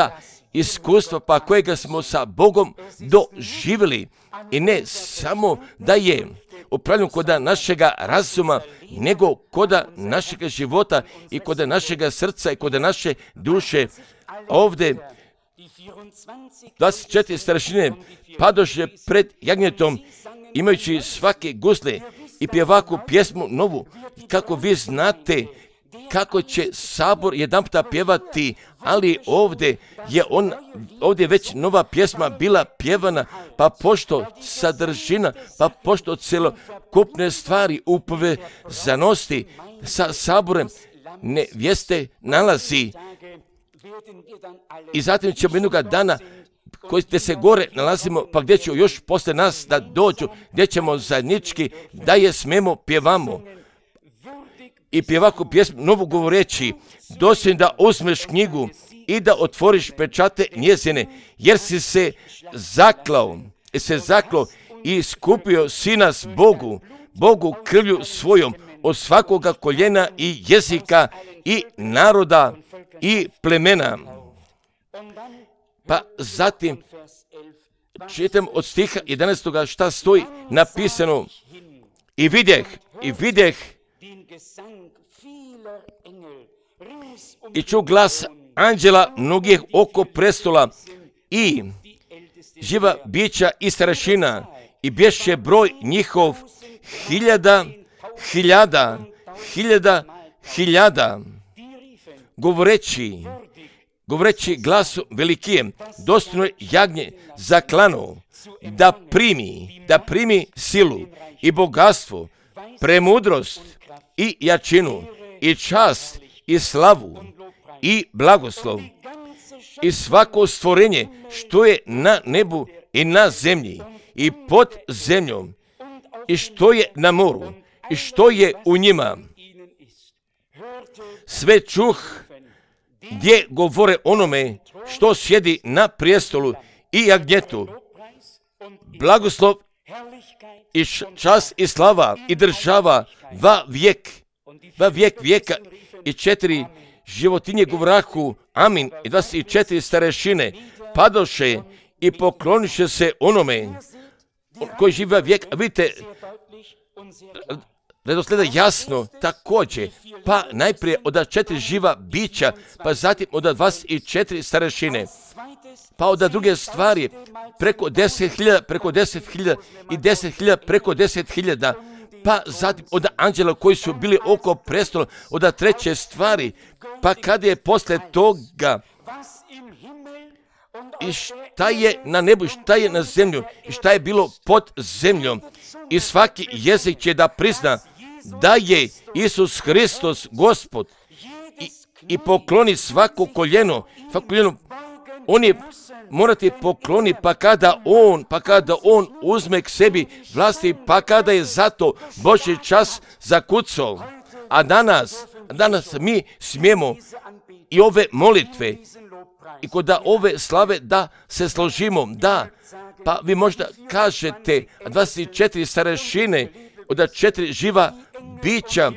iskustva pa kojega smo sa Bogom doživjeli. I ne samo da je upravljeno koda našega razuma, nego koda našega života i koda našega srca i koda naše duše. Ovdje dvadeset četiri starešine padoše pred jagnjetom, imajući svake gusle i pjevaku pjesmu novu. Kako vi znate kako će sabor jedan puta pjevati, ali ovdje je on, ovdje već nova pjesma bila pjevana, pa pošto sadržina, pa pošto celokupne stvari u povezanosti sa saborem nevjeste nalazi. I zatim ćemo jednoga dana koji se gore nalazimo, pa gdje će još posle nas da dođu, gdje ćemo zajednički da je smemo pjevamo. I pjevaku pjesmu novu govoreći, dosim da uzmeš knjigu i da otvoriš pečate njezine, jer si se zaklao, se zaklao i iskupio si nas Bogu, Bogu krvlju svojom od svakoga koljena i jezika i naroda i plemena. Pa zatim čitam od stiha jedanaestog šta stoji napisano. I vidjeh, i vidjeh, i ču glas anđela mnogih oko prestola i živa bića i starešina, i bješe broj njihov hiljada, hiljada, hiljada, hiljada, govoreći, govoreći glasu velikijem, dostojno jagnje zaklano, da primi, da primi silu i bogatstvo, premudrost i jačinu i čast i slavu i blagoslov i svako stvorenje što je na nebu i na zemlji i pod zemljom i što je na moru i što je u njima. Sve čuh gdje govore onome što sjedi na prijestolu i jagnjetu blagoslov i čast i slava i država va vijek, va vijek vijeka. I četiri životinje govrahu amin i dvadeset četiri starešine padoše i pokloniše se onome koji živi vijek. Vidite, redosleda jasno također, pa najprije od četiri živa bića, pa zatim od dvadeset četiri starešine, pa od druge stvari preko deset hiljada, preko deset hiljada i deset hiljada, preko deset hiljada, pa zatim od anđela koji su bili oko prestola, od treće stvari, pa kada je posle toga i šta je na nebu, šta je na zemlju, i šta je bilo pod zemljom, i svaki jezik će da prizna da je Isus Hristos Gospod i, i pokloni svako koljeno, svako koljeno, on je morati pokloni, pa kada on, pa kada on uzme k sebi vlasti, pa kada je zato Božji čas zakucao. A danas, danas mi smijemo i ove molitve i kod da ove slave da se složimo, da, pa vi možda kažete dvadeset četiri starešine, od četiri živa bića,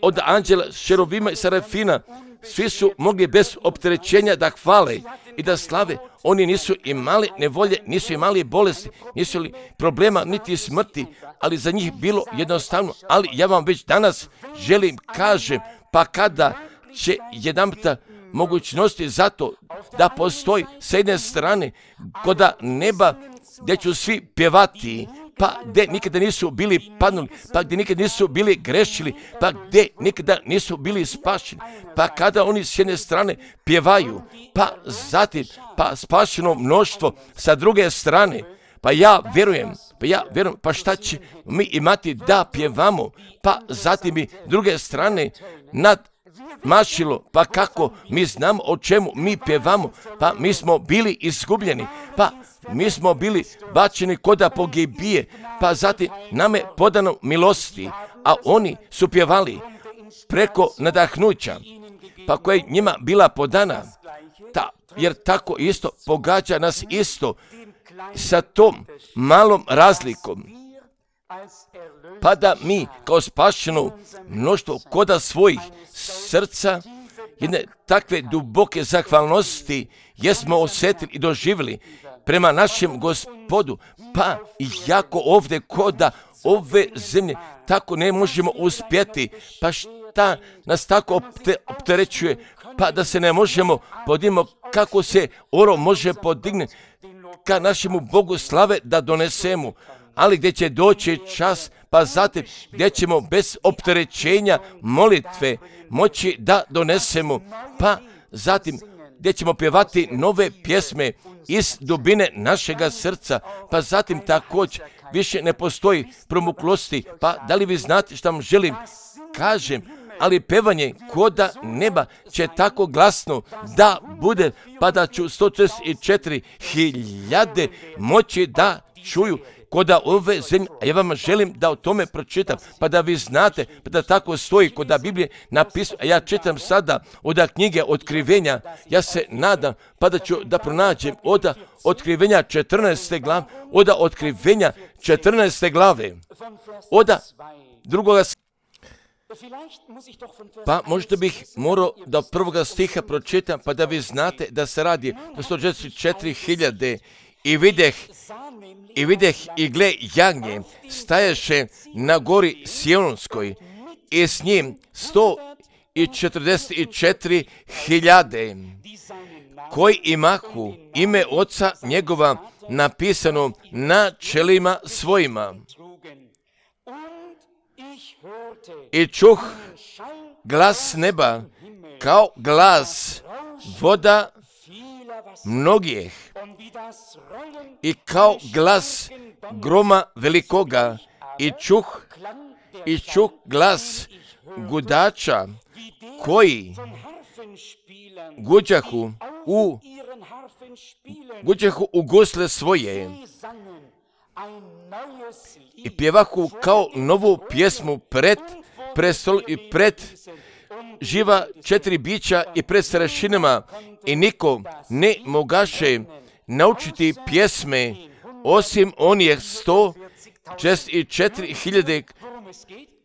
od anđela, šerubima i serafina, svi su mogli bez opterećenja da hvale i da slave. Oni nisu imali nevolje, nisu imali bolesti, nisu li problema niti smrti, ali za njih bilo jednostavno. Ali ja vam već danas želim kažem, pa kada će jedanputa mogućnosti zato da postoji s jedne strane kod neba gdje ću svi pjevati, pa gdje nikada nisu bili padnuli, pa gdje nikada nisu bili grešili, pa gdje nikada nisu bili spašeni, pa kada oni s jedne strane pjevaju, pa zatim pa spašeno mnoštvo sa druge strane, pa ja vjerujem, pa ja vjerujem, pa šta će mi imati da pjevamo, pa zatim i druge strane nad mašilo, pa kako mi znamo o čemu mi pjevamo, pa mi smo bili izgubljeni, pa mi smo bili bačeni koda pogibije, pa zatim nam je podano milosti, a oni su pjevali preko nadahnuća, pa koja je njima bila podana, ta, jer tako isto pogađa nas isto sa tom malom razlikom, pa da mi kao spašeno mnoštvo koda svojih srca, jedne takve duboke zahvalnosti jesmo osjetili i doživjeli prema našem Gospodu, pa i jako ovdje koda ove zemlje tako ne možemo uspjeti, pa šta nas tako opterećuje, pa da se ne možemo podignemo kako se oro može podignuti ka našemu Bogu slave da donesemo, ali gdje će doći čas, pa zatim gdje ćemo bez opterećenja molitve moći da donesemo, pa zatim gdje ćemo pjevati nove pjesme iz dubine našega srca, pa zatim također više ne postoji promuklosti, pa da li vi znate što vam želim kažem, ali pevanje koda neba će tako glasno da bude, pa da ću sto četrdeset četiri hiljade moći da čuju koda ove zemlje. Ja vam želim da o tome pročitam, pa da vi znate, pa da tako stoji koda Biblije napisano. A ja čitam sada od knjige Otkrivenja, ja se nadam, pa da ću da pronađem od Otkrivenja četrnaeste glave, od Otkrivenja četrnaeste glave, od drugoga. Pa možda bih morao da od prvoga stiha pročitam, pa da vi znate da se radi o sto četrdeset četiri hiljade. I videh, i videh i gle jagnje staješe na gori Sionskoj i s njim sto četrdeset četiri hiljade, koji imahu ime oca njegova napisano na čelima svojima. I čuh glas neba kao glas voda mnogih i kao glas groma velikoga i čuh i čuh glas gudača koji guđahu u guđahu u gusle svoje i pjevahu kao novu pjesmu pred prestol i pred živa četiri bića i pred starešinama, i niko ne mogaše naučiti pjesme osim onih sto četrdeset četiri hiljade.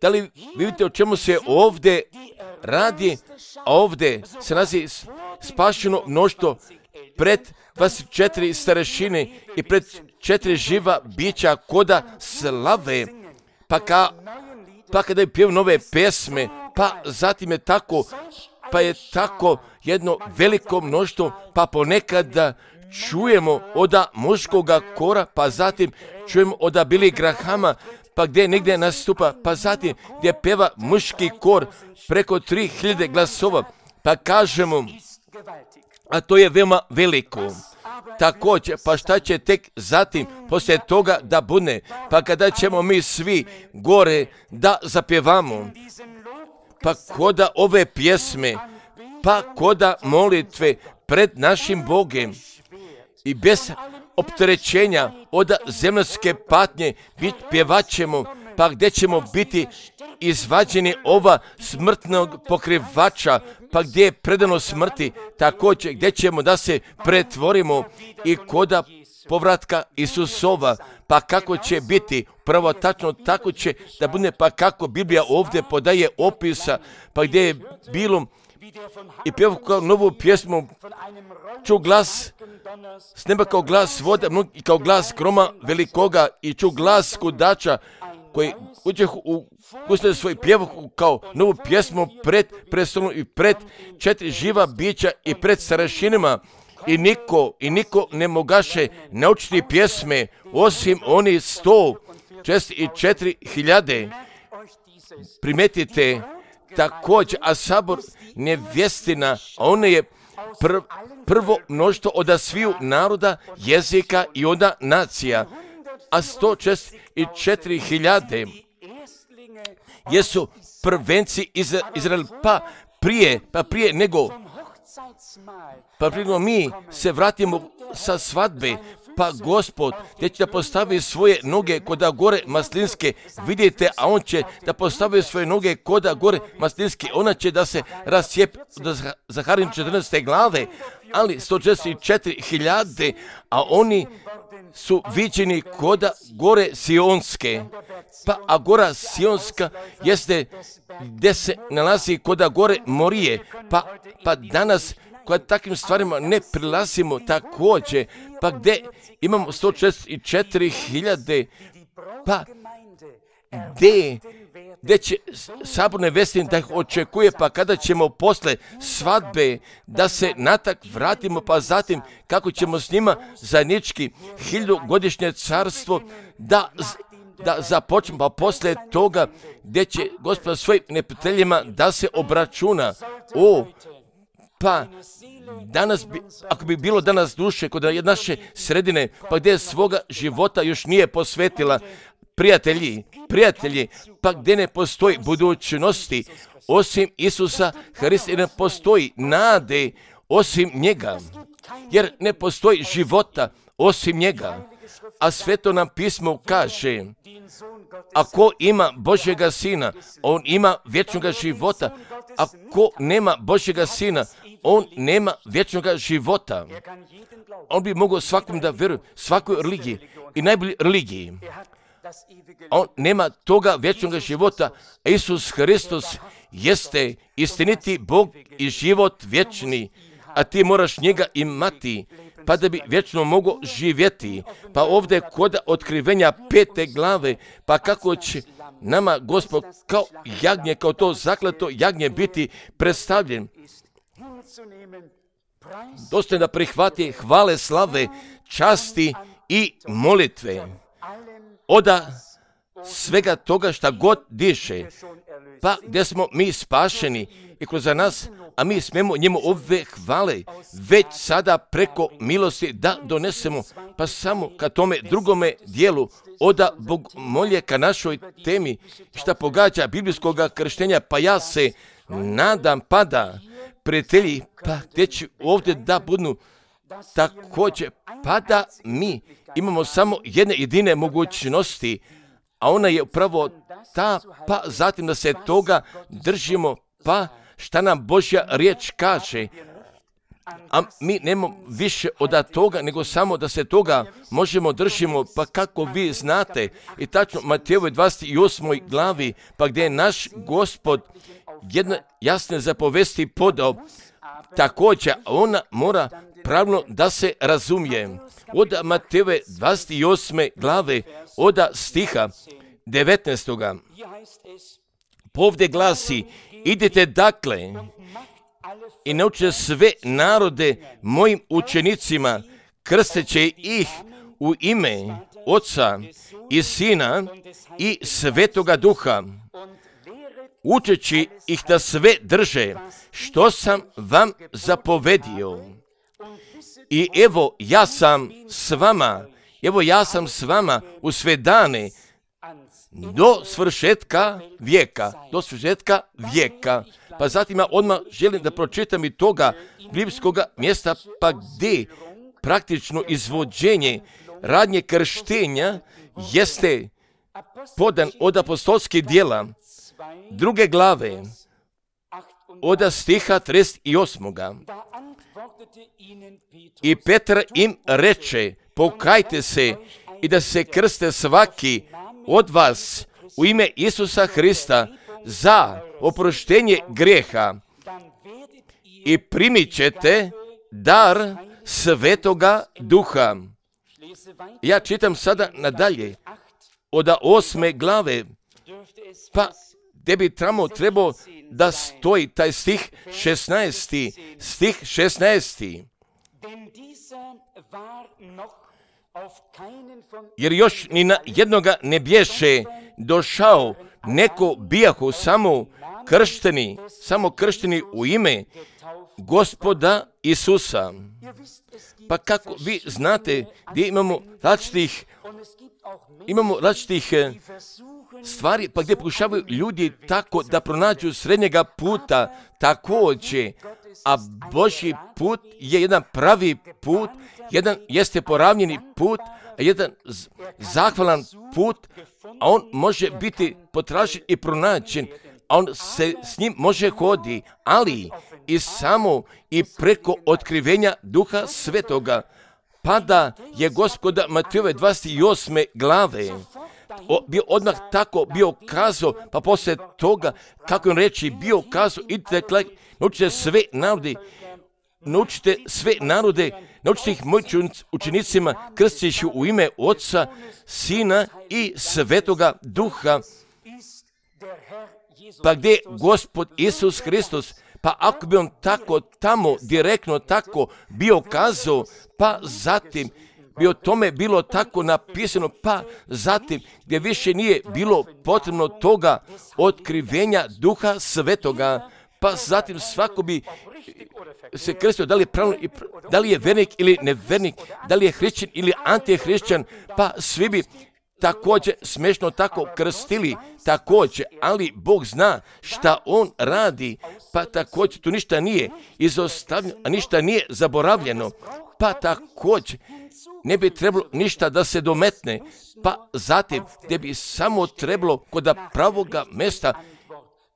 Da li vidite o čemu se ovdje radi? A ovdje se nalazi spašeno mnoštvo pred dvadeset četiri starešine i pred četiri živa bića koda slave. Pa, ka, pa kada je pjevao nove pesme, pa zatim je tako, pa je tako jedno veliko mnoštvo, pa ponekad čujemo oda muškoga kora, pa zatim čujemo oda Billy Grahama, pa gdje negdje nastupa, pa zatim gdje pjeva muški kor preko tri hiljade glasova, pa kažemo, a to je veoma veliko. Također, pa šta će tek zatim poslije toga da bude, pa kada ćemo mi svi gore da zapjevamo, pa koda ove pjesme, pa koda molitve pred našim Bogem i bez opterećenja od zemljske patnje bit pjevaćemo, pa gdje ćemo biti izvađeni ova smrtnog pokrivača, pa gdje je predano smrti, također gdje ćemo da se pretvorimo i koda povratka Isusova, pa kako će biti, pravo tačno tako će da bude, pa kako Biblija ovdje podaje opisa, pa gdje je bilo i pjevao kao novu pjesmu, ču glas s neba kao glas voda i kao glas groma velikoga i ču glas kudača koji uđe u kućne svoj pjevao kao novu pjesmu pred prestolom i pred četiri živa bića i pred starešinama i niko i niko ne mogaše naučiti pjesme osim oni sto četrdeset četiri hiljade. Primetite također, a sabor nevjestina, a ona je pr, prvo mnoštvo od sviju naroda, jezika i onda nacija, a sto četrdeset četiri hiljade jesu prvenci iz Izrael, pa prije, pa prije nego, pa prije nego mi se vratimo sa svadbe, pa Gospod gdje će da postavi svoje noge koda gore maslinske, vidite, a on će da postavi svoje noge koda gore maslinske, ona će da se rasjep do Zaharin četrnaeste glave, ali sto četrdeset četiri hiljade, a oni su viđeni koda gore Sionske, pa a gora Sionska jeste gdje se nalazi koda gore Morije, pa, pa danas koja takvim stvarima ne prilazimo također, pa gdje imamo sto četrdeset četiri hiljade, pa gdje, gdje će sabor nevestin da ih očekuje, pa kada ćemo posle svadbe da se natak vratimo, pa zatim kako ćemo s njima zajednički hiljadugodišnje carstvo da da započnemo, pa poslije toga gdje će Gospod svojim neprijateljima da se obračuna. O, pa danas bi, ako bi bilo danas duše kod naše sredine, pa gdje svoga života još nije posvetila, prijatelji, prijatelji, pa gdje ne postoji budućnosti osim Isusa Hrista i ne postoji nade osim njega, jer ne postoji života osim njega. A Sveto nam pismo kaže, ako ima Božjega Sina, on ima vječnoga života. Ako nema Božjega Sina, on nema vječnoga života. On bi mogao svakom da vjeruje, svakoj religiji i najbolji religiji. On nema toga vječnoga života. Isus Hristos jeste istiniti Bog i život vječni, a ti moraš njega imati, pa da bi vječno mogao živjeti. Pa ovdje kod otkrivenja pete glave, pa kako će nama Gospod kao jagnje, kao to zaklato jagnje biti predstavljen. Dosta je da prihvati hvale, slave, časti i molitve. Oda svega toga šta god diše, pa gdje smo mi spašeni i kroz nas, a mi smemo njemu ove hvale već sada preko milosti da donesemo, pa samo ka tome drugome dijelu oda bogomolje ka našoj temi šta pogađa biblijskog krštenja, pa ja se nadam pa da prijatelji, pa gdje će ovdje da budu također, pa da mi imamo samo jedne jedine mogućnosti, a ona je upravo ta, pa zatim da se toga držimo, pa šta nam Božja riječ kaže. a mi nemamo više od toga, nego samo da se toga možemo držimo, pa kako vi znate, i tačno Matejevoj dvadeset osmoj glavi, pa gdje je naš Gospod jedno jasne zapovesti podao, također ona mora pravilno da se razumije. Od Matejeve dvadeset osme glave, od stiha devetnaestoga Povdje glasi, idite dakle i naučite sve narode mojim učenicima, krsteći ih u ime Oca i Sina i Svetoga Duha, učeći ih da sve drže što sam vam zapovedio. I evo ja sam s vama, evo ja sam s vama u sve dane do svršetka vijeka, do svršetka vijeka. Pa zatim ja odmah želim da pročitam i toga biblijskog mjesta, pa gdje praktično izvođenje radnje krštenja jeste podan od apostolskih djela druge glave, od stiha trideset osmoga I Petar im reče, pokajte se i da se krste svaki od vas u ime Isusa Hrista za oproštenje grijeha i primit ćete dar Svetoga Duha. Ja čitam sada nadalje od osme glave, pa gdje bi tamo trebao da stoji taj stih šesnaesti. Stih šesnaesti. Jer još ni na jednoga ne bješe došao, neko bijahu samo kršteni, samo kršteni u ime Gospoda Isusa. Pa kako vi znate gdje imamo različitih, imamo različitih stvari, pa gdje pokušavaju ljudi tako da pronađu srednjega puta također, a Božji put je jedan pravi put, jedan jeste poravnjeni put, a jedan zahvalan put, a on može biti potražen i pronađen, a on se s njim može hoditi, ali i samo i preko otkrivenja Duha Svetoga. Pa da je Gospoda Matejove dvadeset osme glave O, bio odmah tako bio kazao, pa poslije toga, kako on reći, bio kazao, idite, naučite sve narode, naučite sve narode, naučite ih mojim učenicima, krsteći u ime Oca, Sina i Svetoga Duha. Pa gdje je Gospod Isus Hristos? Pa ako bi on tako tamo, direktno tako bio kazao, pa zatim bi o tome bilo tako napisano, pa zatim gdje više nije bilo potrebno toga otkrivenja Duha Svetoga, pa zatim svako bi se krstio, da li je pravilno, da li je vernik ili nevernik, da li je hrišćan ili antihrišćan, pa svi bi također smiješno tako krstili, također, ali Bog zna šta On radi, pa također tu ništa nije izostavljeno, a ništa nije zaboravljeno, pa također ne bi trebalo ništa da se dometne, pa zatim gdje bi samo trebalo kod pravoga mjesta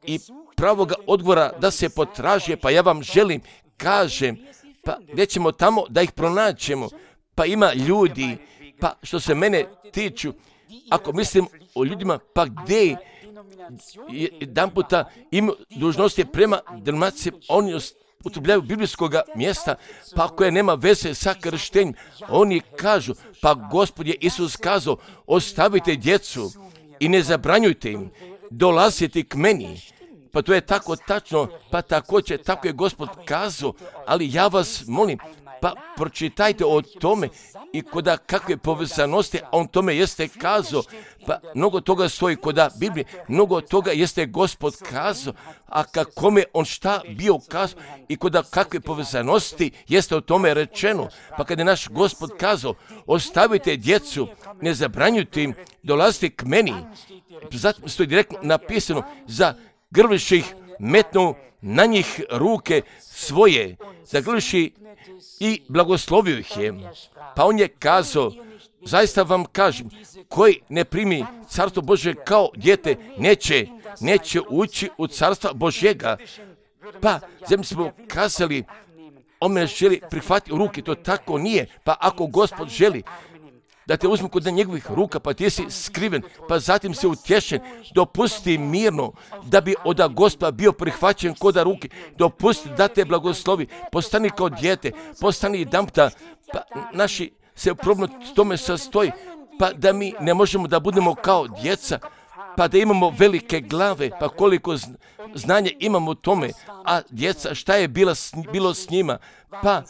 i pravoga odgovora da se potraže, pa ja vam želim, kažem, pa gdje ćemo tamo da ih pronaćemo, pa ima ljudi, pa što se mene tiču, ako mislim o ljudima, pa gdje jedan puta imaju dužnosti prema denominaciji, oni upotrebljavaju biblijskog mjesta, pa koje nema veze sa krštenjem, oni kažu, pa Gospod je Isus kazao, ostavite djecu i ne zabranjujte im, dolazite k meni. Pa to je tako tačno, pa također tako je Gospod kazao, ali ja vas molim, pa pročitajte o tome i koda kakve povezanosti, a on tome jeste kazao, pa mnogo toga stoji koda Biblije, mnogo toga jeste Gospod kazao, a kakome on šta bio kazao i koda kakve povezanosti jeste o tome rečeno. Pa kada je naš Gospod kazao, ostavite djecu, ne zabranjujte im, dolazite k meni, zatim stoji direktno napisano, za grliših metnu na njih ruke svoje, zagrliši i blagoslovio ih je. Pa on je kazao, zaista vam kažem, koji ne primi carstvo Božje kao dijete, neće, neće ući u carstva Božjega. Pa, zemlji smo kazali, on me želi prihvatiti u ruke, to tako nije. Pa ako Gospod želi da te uzmu kod njegovih ruka, pa ti si skriven, pa zatim si utješen, dopusti mirno da bi od Gospoda bio prihvaćen kod ruke, dopusti da te blagoslovi, postani kao dijete, postani jedanputa, pa naši se problem tome sastoji, pa da mi ne možemo da budemo kao djeca, pa da imamo velike glave, pa koliko znanja imamo u tome, a djeca, šta je bilo s, bilo s njima, pa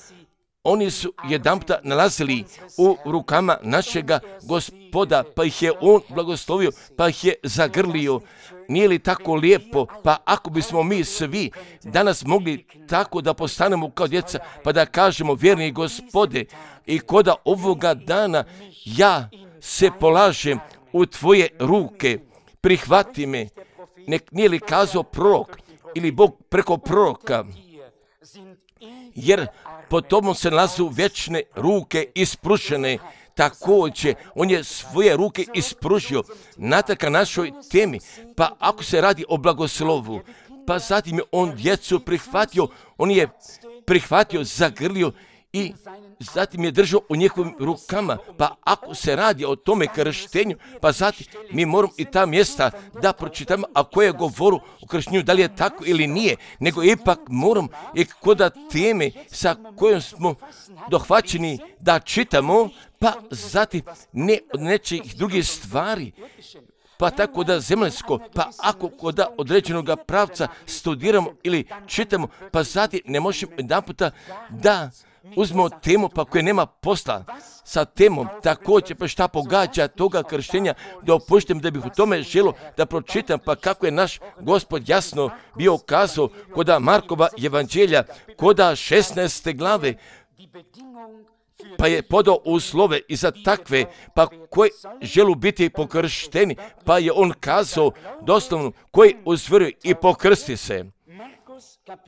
oni su jedanputa nalazili u rukama našega Gospoda, pa ih je on blagoslovio, pa ih je zagrlio. Nije li tako lijepo? Pa ako bismo mi svi danas mogli tako da postanemo kao djeca, pa da kažemo, vjerni Gospode, i koda ovoga dana ja se polažem u tvoje ruke, prihvati me. Nek nije li kazao prorok ili Bog preko proroka, jer po tomu se nalazu vječne ruke ispružene. Također, on je svoje ruke ispružio na taka našoj temi. Pa ako se radi o blagoslovu, pa zatim je on djecu prihvatio, on je prihvatio, zagrlio i zatim je držao u njihovim rukama. Pa ako se radi o tome krštenju, pa zatim mi moramo i ta mjesta da pročitamo, a koje govoru o krštenju, da li je tako ili nije, nego ipak moram i koda teme sa kojom smo dohvaćeni da čitamo, pa zatim ne od nečih drugih stvari. Pa tako da zemaljsko, pa ako kod određenog pravca studiramo ili čitamo, pa zatim ne možemo jedan puta da uzmemo temu pa koje nema posla sa temom, također pa šta pogađa toga krštenja, da opuštem da bih u tome želo da pročitam, pa kako je naš Gospod jasno bio kazao koda Markova evanđelja, koda šesnaeste glave, pa je podao uslove i za takve, pa koji želu biti pokršteni, pa je on kazao doslovno, koji uzvjeruju i pokrsti se.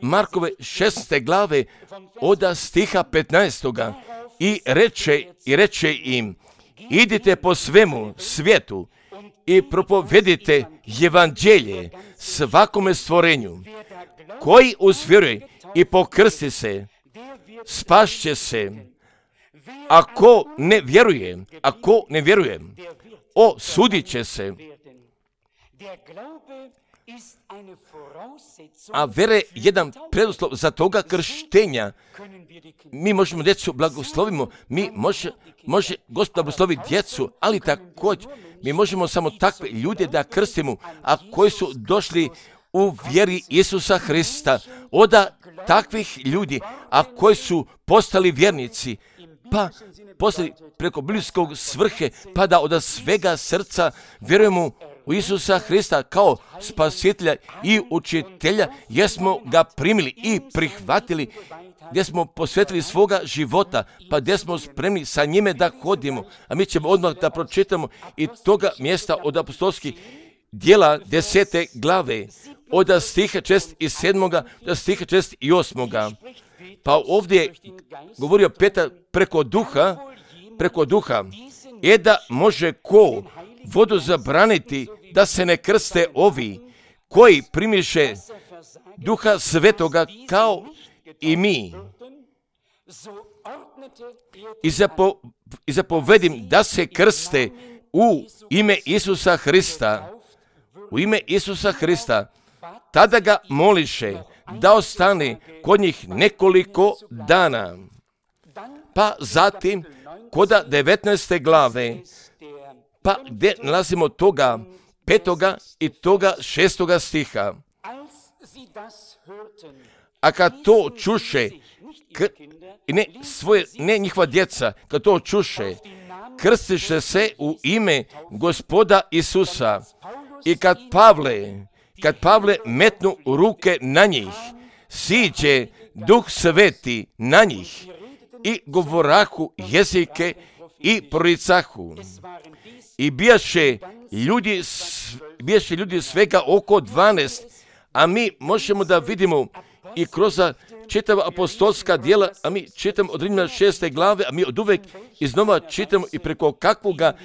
Markove šesnaeste glave od stiha petnaestoga i reče, i reče im, idite po svemu svijetu i propovedite evanđelje svakome stvorenju. Koji uzvjeruje i pokrsti se, spašće se. Ako ne vjeruje, ako ne vjeruje, osudit će se. A vjera je jedan preduslov za toga krštenja. Mi možemo djecu blagoslovimo, mi može, može Gospod blagoslovi djecu, ali također mi možemo samo takve ljude da krstimo, a koji su došli u vjeri Isusa Hrista. Od takvih ljudi, a koji su postali vjernici, pa postali preko biblijskog svrhe, pa da od svega srca vjerujemo u Isusa Hrista kao spasitelja i učitelja, jer smo ga primili i prihvatili, gdje smo posvetili svoga života, pa gdje smo spremni sa njime da hodimo. A mi ćemo odmah da pročitamo i toga mjesta od apostolskih djela desete glave, od stiha šest i sedmoga do stiha šest i osmoga. Pa ovdje je govorio Petar preko duha, preko duha, je da može ko vodu zabraniti da se ne krste ovi koji primiše duha svetoga kao i mi. I, zapo, i zapovedim da se krste u ime Isusa Hrista. U ime Isusa Hrista. Tada ga moliše da ostane kod njih nekoliko dana. Pa zatim, koda devetnaeste glave, pa gdje nalazimo toga petoga i toga šestoga stiha. A kad to čuše, k, ne, svoje, ne njihova djeca, kad to čuše, krstiše se u ime Gospoda Isusa. I kad Pavle, kad Pavle metnu ruke na njih, siđe Duh Sveti na njih i govorahu jezike i proricahu. I bijaše ljudi, bijaše ljudi svega oko dvanaest, a mi možemo da vidimo i kroz čitava apostolska djela, a mi čitamo od Rimljana šeste glave, a mi od uvek iznova čitamo i preko kakvoga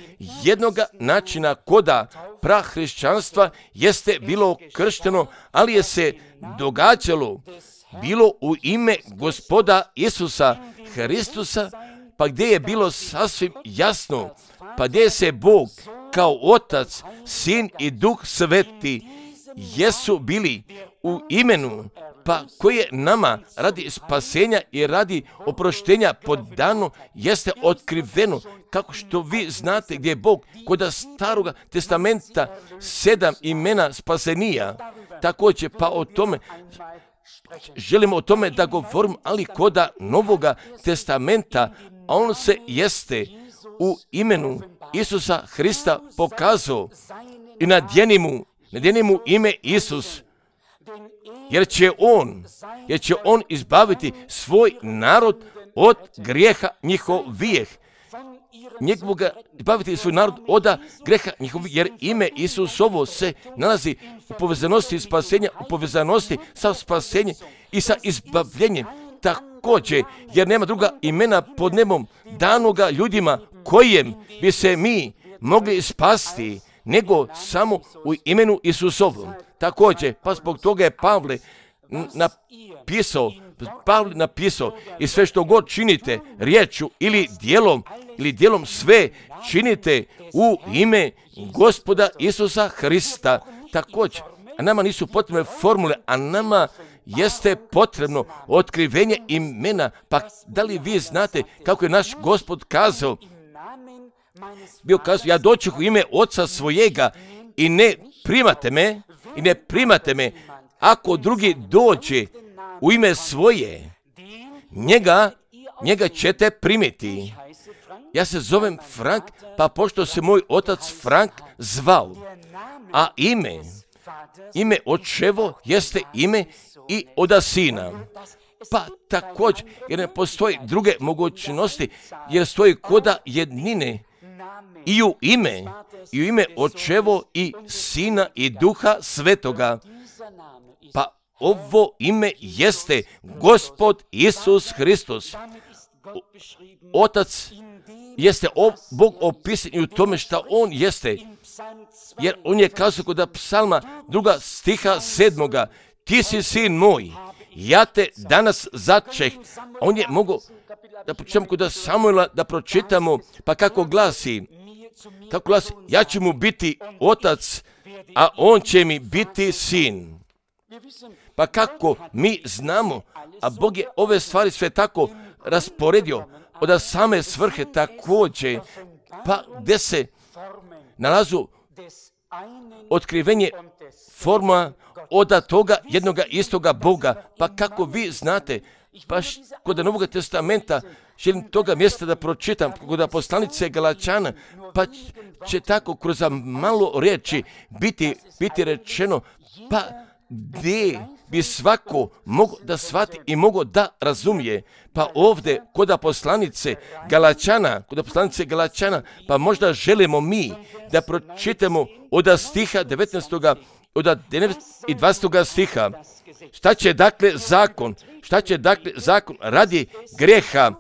jednoga načina koda prahrišćanstva jeste bilo kršteno, ali je se događalo bilo u ime Gospoda Isusa Hristusa, pa gdje je bilo sasvim jasno, pa gdje se Bog kao Otac, Sin i Duh Sveti jesu bili u imenu, pa koje nama radi spasenja i radi oproštenja podano jeste otkriveno, kako što vi znate gdje je Bog kod Staroga testamenta sedam imena spasenija. Također pa o tome želimo o tome da govorim, ali kod Novoga testamenta on se jeste u imenu Isusa Hrista pokazao i nadjeni mu, nadjeni mu ime Isus, jer će on, jer će on izbaviti svoj narod od grijeha njihovih. Njegovoga izbaviti svoj narod od grijeha njihovih, jer ime Isusovo se nalazi u povezanosti spasenja, u povezanosti sa spasenjem i sa izbavljenjem. Također, jer nema druga imena pod nebom danoga ljudima kojem bi se mi mogli spasti, nego samo u imenu Isusovom. Također, pa zbog toga je Pavle napisao, Pavle napisao, i sve što god činite, riječju ili djelom, ili djelom sve činite u ime Gospoda Isusa Hrista. Također, a nama nisu potrebne formule, a nama jeste potrebno otkrivenje imena. Pa da li vi znate kako je naš Gospod kazao? Bio kazao, ja doću u ime Oca svojega i ne primate me, i ne primate me, ako drugi dođe u ime svoje, njega, njega ćete primiti. Ja se zovem Frank, pa pošto se moj otac Frank zvao, a ime, ime očevo jeste ime i oda sina. Pa također, jer ne postoji druge mogućnosti, jer stoji koda jednine i u ime, i u ime očevo i sina i duha svetoga. Pa ovo ime jeste Gospod Isus Hristos. Otac jeste Bog opisan i u tome što on jeste. Jer on je kazao kod psalma druga stiha sedmoga, ti si sin moj, ja te danas začeh. On je mogao da pročitamo kod Samuela, da pročitamo, pa kako glasi, kako glasi, ja ću mu biti otac, a on će mi biti sin. Pa kako mi znamo, a Bog je ove stvari sve tako rasporedio od same svrhe također, pa gdje se nalazu otkrivenje forma od toga jednoga istoga Boga. Pa kako vi znate, baš kod Novog testamenta, želim toga mjesta da pročitam, kod poslanice Galačana, pa će tako kroz malo riječi biti, biti rečeno, pa gdje bi svako mogao da shvati i mogao da razumije. Pa ovdje kod poslanice Galačana, kod poslanice Galačana, pa možda želimo mi da pročitamo od stiha devetnaestog od i dvadesetog stiha. Šta će dakle zakon? Šta će dakle zakon radi grijeha?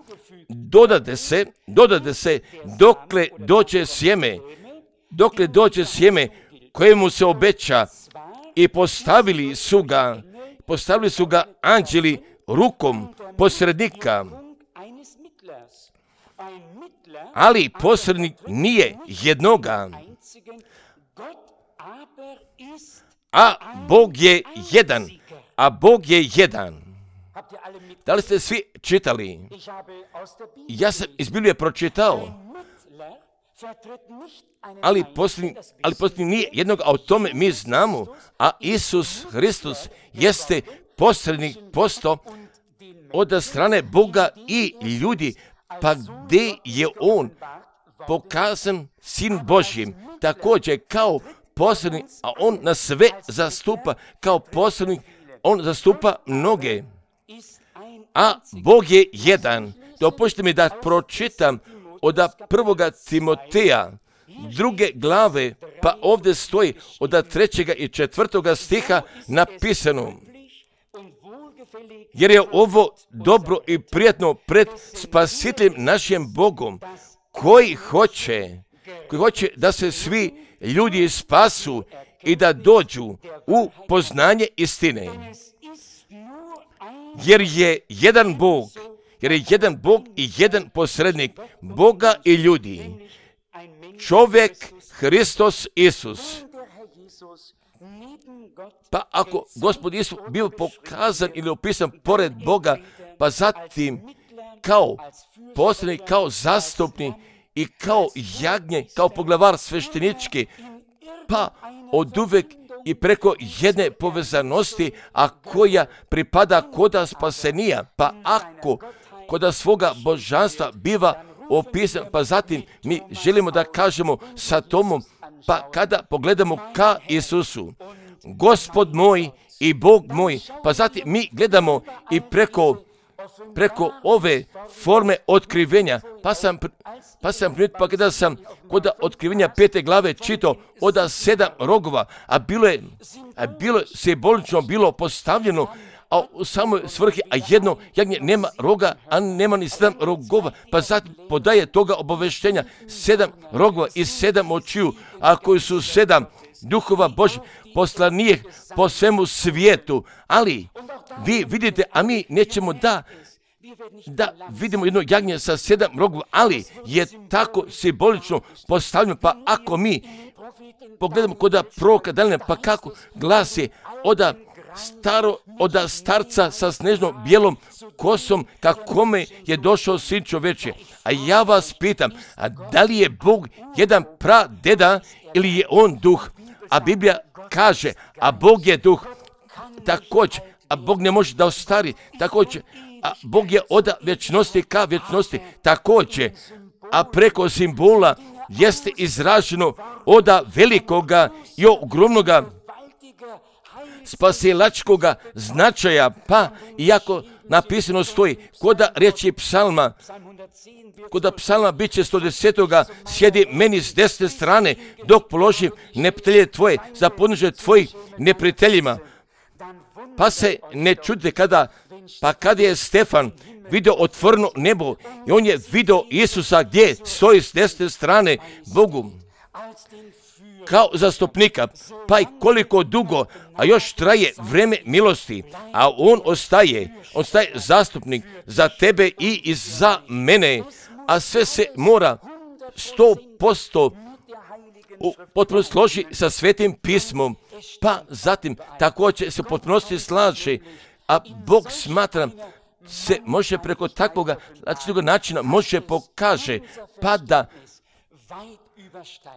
Dodade se, dodade se dokle dođe sjeme, dokle dođe sjeme kojemu se obeća, i postavili su ga, postavili su ga anđeli rukom posrednika. Ali posrednik nije jednoga, a Bog je jedan, a Bog je jedan. Da li ste svi čitali? Ja sam iz Biblije pročitao, ali posljednji, ali posljednji nije jednog, a o tome mi znamo, a Isus Hristos jeste posrednik posto od strane Boga i ljudi, pa gdje je on pokazan Sin Božjim, također kao posrednik, a on na sve zastupa kao posrednik, on zastupa mnoge, a Bog je jedan. Dopustite mi da pročitam od prvoga Timoteja, druge glave, pa ovdje stoji od trećega i četvrtoga stiha napisano, jer je ovo dobro i prijatno pred Spasiteljem našim Bogom, koji hoće, koji hoće da se svi ljudi spasu i da dođu u poznanje istine. jer je jedan Bog, jer je jedan Bog i jedan posrednik Boga i ljudi, čovjek Hristos Isus. Pa ako Gospod Isus bio pokazan ili opisan pored Boga, pa zatim kao posrednik, kao zastupnik i kao jagnje, kao poglavar sveštenički, pa oduvek i preko jedne povezanosti, a koja pripada koda spasenija, pa ako koda svoga božanstva biva opisan, pa zatim mi želimo da kažemo sa Tomom, pa kada pogledamo ka Isusu, Gospod moj i Bog moj, pa zatim mi gledamo i preko preko ove forme otkrivenja, pa sam, pa sam primjetio, pa kada sam kod otkrivenja pete glave čitao oda sedam rogova, a bilo je, a bilo je simbolično bilo postavljeno, a u samoj svrhi, a jedno jagnje nema roga, a nema ni sedam rogova, pa zatim podaje toga obaveštenja, sedam rogova i sedam očiju, a koji su sedam duhova Božih poslanih po svemu svijetu, ali vi vidite, a mi nećemo da da vidimo jedno jagnje sa sedam rogova, ali je tako simbolično postavljeno, pa ako mi pogledamo kod proroka Danijela, pa kako glasi oda staro, oda starca sa snežno bijelom kosom, kakome je došao sin čoveče. A ja vas pitam, a da li je Bog jedan pradeda ili je on duh? A Biblija kaže, a Bog je duh, također, a Bog ne može da ostari, također, a Bog je od vječnosti ka vječnosti, također, a preko simbola jeste izraženo od velikoga i ogromnoga spasilačkoga značaja, pa iako napisano stoji, koda riječi psalma, koda psalma bit će sto desetoga, sjedi meni s desne strane, dok položim neprijatelje tvoje, za podnožje tvojih neprijateljima. Pa se ne čudite kada, pa kada je Stefan vidio otvoreno nebo i on je vidio Isusa gdje stoji s desne strane Bogu kao zastupnika, pa i koliko dugo, a još traje vreme milosti, a on ostaje, ostaje zastupnik za tebe i za mene, a sve se mora sto posto potpuno složi sa Svetim pismom, pa zatim također se potpunosti slaže, a Bog smatra se može preko takvoga načina može pokaže, pa da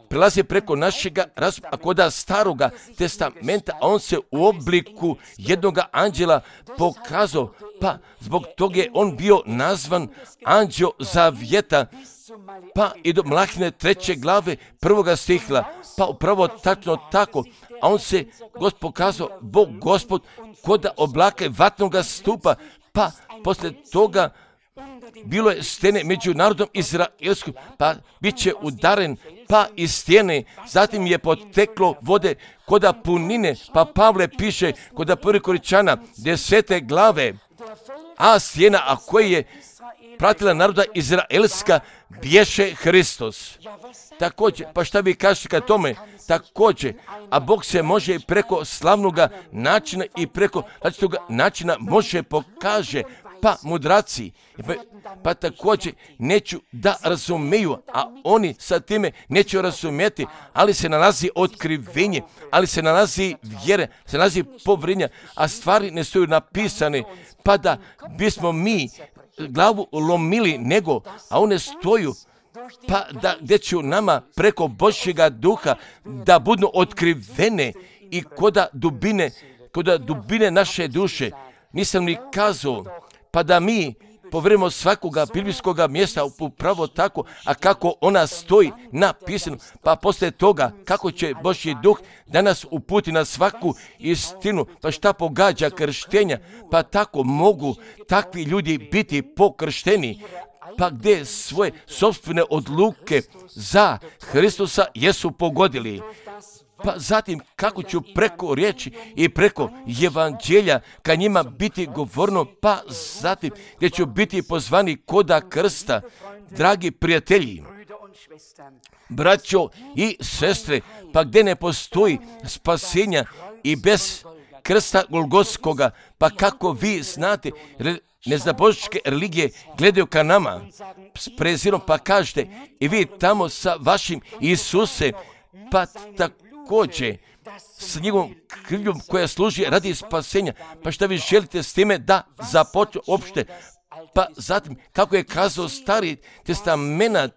prelazi preko našega razuma, a koda staroga testamenta, a on se u obliku jednoga anđela pokazao, pa zbog toga je on bio nazvan anđeo zavjeta, pa i do Mlahine treće glave prvoga stihla, pa upravo tačno tako, a on se Gospod pokazao, Bog Gospod, koda oblaka vatnoga stupa, pa poslije toga bilo je stene među narodom izraelskom, pa bit će udaren, pa iz stjene, zatim je poteklo vode koda punine, pa Pavle piše koda prvi Koričana desete glave, a stjena, a koja je pratila naroda izraelska, bješe Hristos. Također, pa šta vi kažete ka tome? Također, a Bog se može preko slavnoga načina i preko različitoga načina može pokaže, pa mudraci, pa, pa također neću da razumiju, a oni sa time neće razumjeti, ali se nalazi otkrivenje, ali se nalazi vjere, se nalazi povrinja, a stvari ne stoju napisane, pa da bismo mi glavu lomili nego, a one stoju, pa da gdje će nama preko Božjega duha da budu otkrivene i koda dubine, koda dubine naše duše. Nisam ni kazao, pa da mi povremo svakoga biblijskoga mjesta upravo tako, a kako ona stoji napisano, pa poslije toga kako će Božji duh da nas uputi na svaku istinu, pa šta pogađa krštenja, pa tako mogu takvi ljudi biti pokršteni, pa gdje svoje sopstvene odluke za Hristusa jesu pogodili. Pa zatim kako ću preko riječi i preko evanđelja ka njima biti govorno, pa zatim gdje ću biti pozvani koda krsta. Dragi prijatelji, braćo i sestre, pa gdje ne postoji spasenja i bez krsta Golgotskoga, pa kako vi znate, neznaboške religije gledaju ka nama s prezirom, pa kažete i vi tamo sa vašim Isusem, pa također s njegovom krvljom koja služi radi spasenja, pa šta vi želite s time da započne opšte? Pa zatim, kako je kazao Stari testament,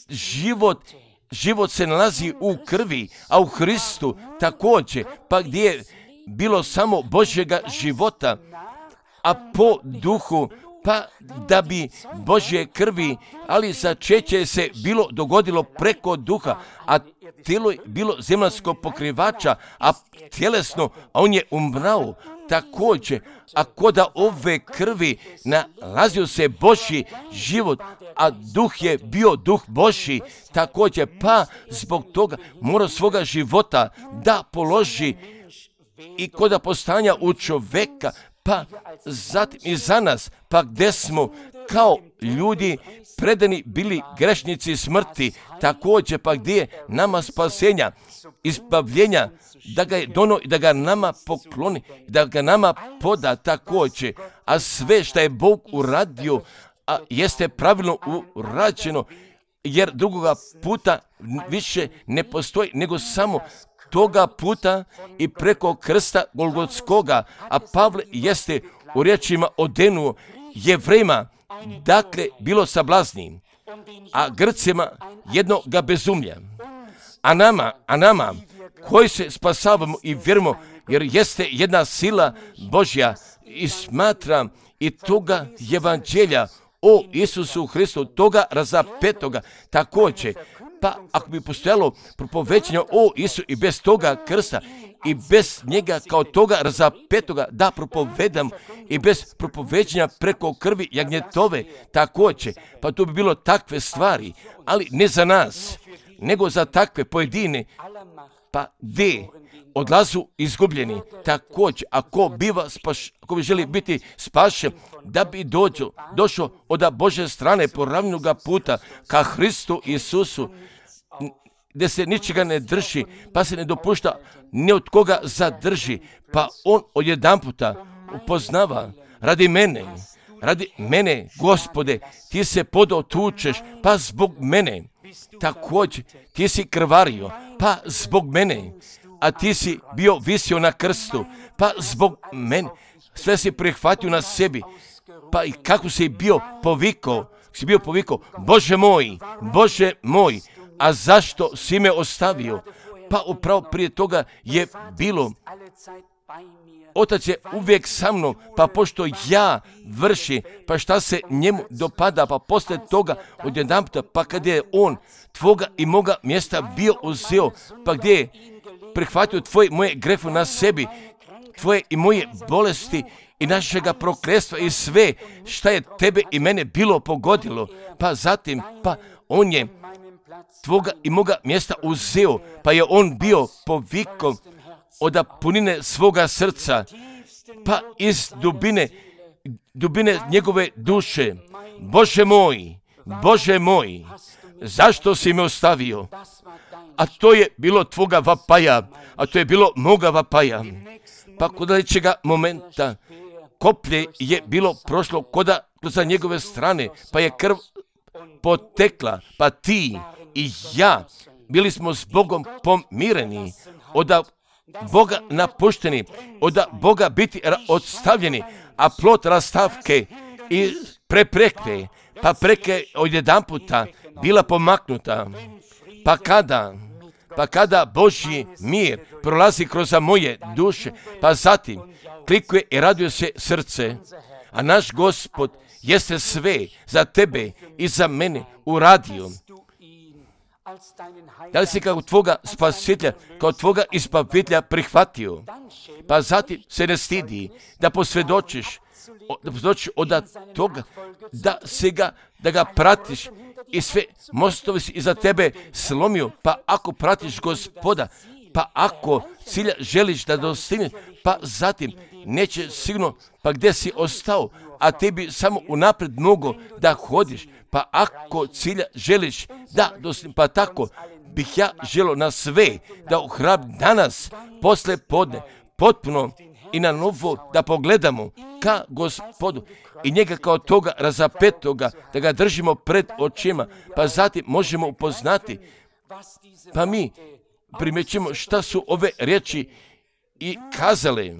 život, život se nalazi u krvi, a u Hristu također, pa gdje je bilo samo Božjega života, a po duhu, pa da bi Božje krvi, ali začeće se bilo dogodilo preko duha, a tijelo je bilo zemaljsko pokrivača, a tjelesno, a on je umrao također, a koda ove krvi nalazio se Božji život, a duh je bio duh Božji također, pa zbog toga mora svoga života da položi i koda postanja u čoveka, pa zatim i za nas, pa gdje smo kao ljudi predani bili grešnici smrti, također pa gdje je nama spasenja, izbavljenja, da ga je dono i da ga nama pokloni, da ga nama poda također, a sve što je Bog uradio, a jeste pravilno urađeno, jer drugoga puta više ne postoji, nego samo toga puta i preko krsta Golgotskoga, a Pavle jeste u riječima odenuo Jevrejima, dakle bilo sablazni, a Grcima jednoga bezumlja. A nama, a nama, koji se spasavamo i vjerujemo, jer jeste jedna sila Božja i smatram i toga evanđelja o Isusu Hristu, toga razapetoga, također, pa ako bi postojalo propovećanje o Isu i bez toga krsta i bez njega kao toga razapetoga da propovedam i bez propovećanja preko krvi jagnjetove, također, pa to bi bilo takve stvari, ali ne za nas, nego za takve pojedine, pa gdje odlazu izgubljeni, također, ako biva spaš, ako bi želi biti spašen, da bi dođo, došao od Božje strane poravnoga puta ka Hristu Isusu, gdje se ničega ne drži, pa se ne dopušta ni od koga zadrži, pa on odjedanputa upoznava radi mene, radi mene, Gospode, ti se podotučeš, pa zbog mene, također, ti si krvario, pa zbog mene, a ti si bio visio na krstu, pa zbog mene, sve si prihvatio na sebi, pa i kako si bio povikao, si bio povikao, Bože moj, Bože moj, a zašto si me ostavio? Pa upravo prije toga je bilo, Otac je uvijek sa mnom, pa pošto ja vrši, pa šta se njemu dopada, pa poslije toga odjedanputa, pa kad je on tvoga i moga mjesta bio uzeo, pa gdje je prihvatio tvoje moje grehe na sebi, tvoje i moje bolesti i našega prokletstva i sve šta je tebe i mene bilo pogodilo, pa zatim, pa on je tvoga i moga mjesta uzeo, pa je on bio povikao od punine svoga srca, pa iz dubine, dubine njegove duše, Bože moj, Bože moj, zašto si me ostavio? A to je bilo tvoga vapaja, a to je bilo moga vapaja. Pa kod sljedećega momenta koplje je bilo prošlo koda za njegove strane, pa je krv potekla, pa ti i ja bili smo s Bogom pomireni, od Boga napušteni, od Boga biti odstavljeni, a plot rastavke i prepreke, pa preke odjedanputa bila pomaknuta. Pa kada, pa kada Božji mir prolazi kroz moje duše, pa zatim klikuje i raduje se srce, a naš Gospod jeste sve za tebe i za mene uradio. Da li si kao tvoga spasitelja, kao tvoga izbavitelja prihvatio? Pa zatim se ne stidi da posvjedočiš, da posvjedočiš od toga, da se ga, da ga pratiš i sve mostovi si iza tebe slomio, pa ako pratiš Gospoda, pa ako cilja želiš da dostigneš, pa zatim neće sigurno, pa gdje si ostao, a tebi samo unaprijed mogu da hodiš, pa ako cilja želiš da dostigneš, pa tako bih ja želio na sve da ohrabrim danas, posle podne, potpuno i na novo da pogledamo ka Gospodu i njega kao toga razapetoga, da ga držimo pred očima, pa zatim možemo upoznati, pa mi primjećujemo šta su ove riječi i kazale.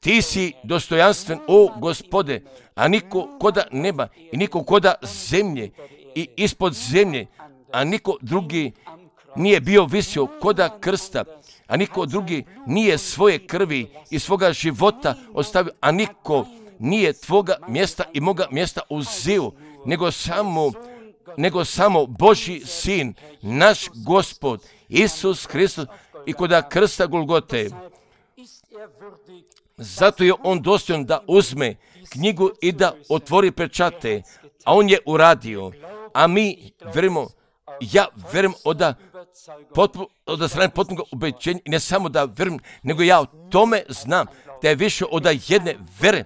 Ti si dostojanstven, o Gospode, a niko koda neba i niko koda zemlje i ispod zemlje, a niko drugi nije bio visio koda krsta, a niko drugi nije svoje krvi i svoga života ostavio, a niko nije tvoga mjesta i moga mjesta uzeo, nego samo, nego samo Božji sin, naš Gospod, Isus Hristos i koda krsta Golgote. Zato je on dostojan da uzme knjigu i da otvori pečate, a on je uradio. A mi verimo, ja verujem od potpuno, od strane potpunog ubeđenja, i ne samo da verujem, nego ja o tome znam da je više od jedne vere,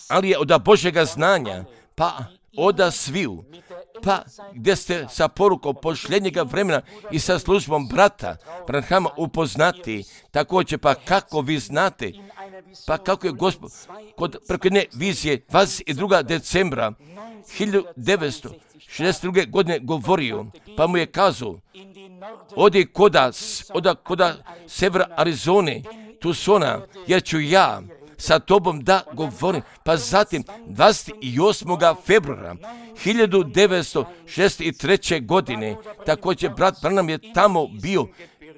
ali je od Božjega znanja, pa od sviju, pa gdje ste sa porukom pošljenjega vremena i sa službom brata Branhama upoznati, također pa kako vi znate, pa kako je Gospod kod preko jedne vizije dvadeset drugog decembra hiljadu devetsto šezdeset druge godine govorio, pa mu je kazao, odi koda, oda koda severa Arizone, Tucsona, jer ću ja sa tobom da govorim. Pa zatim dvadeset osmog februara hiljadu devetsto šezdeset treće godine, također brat Branham je tamo bio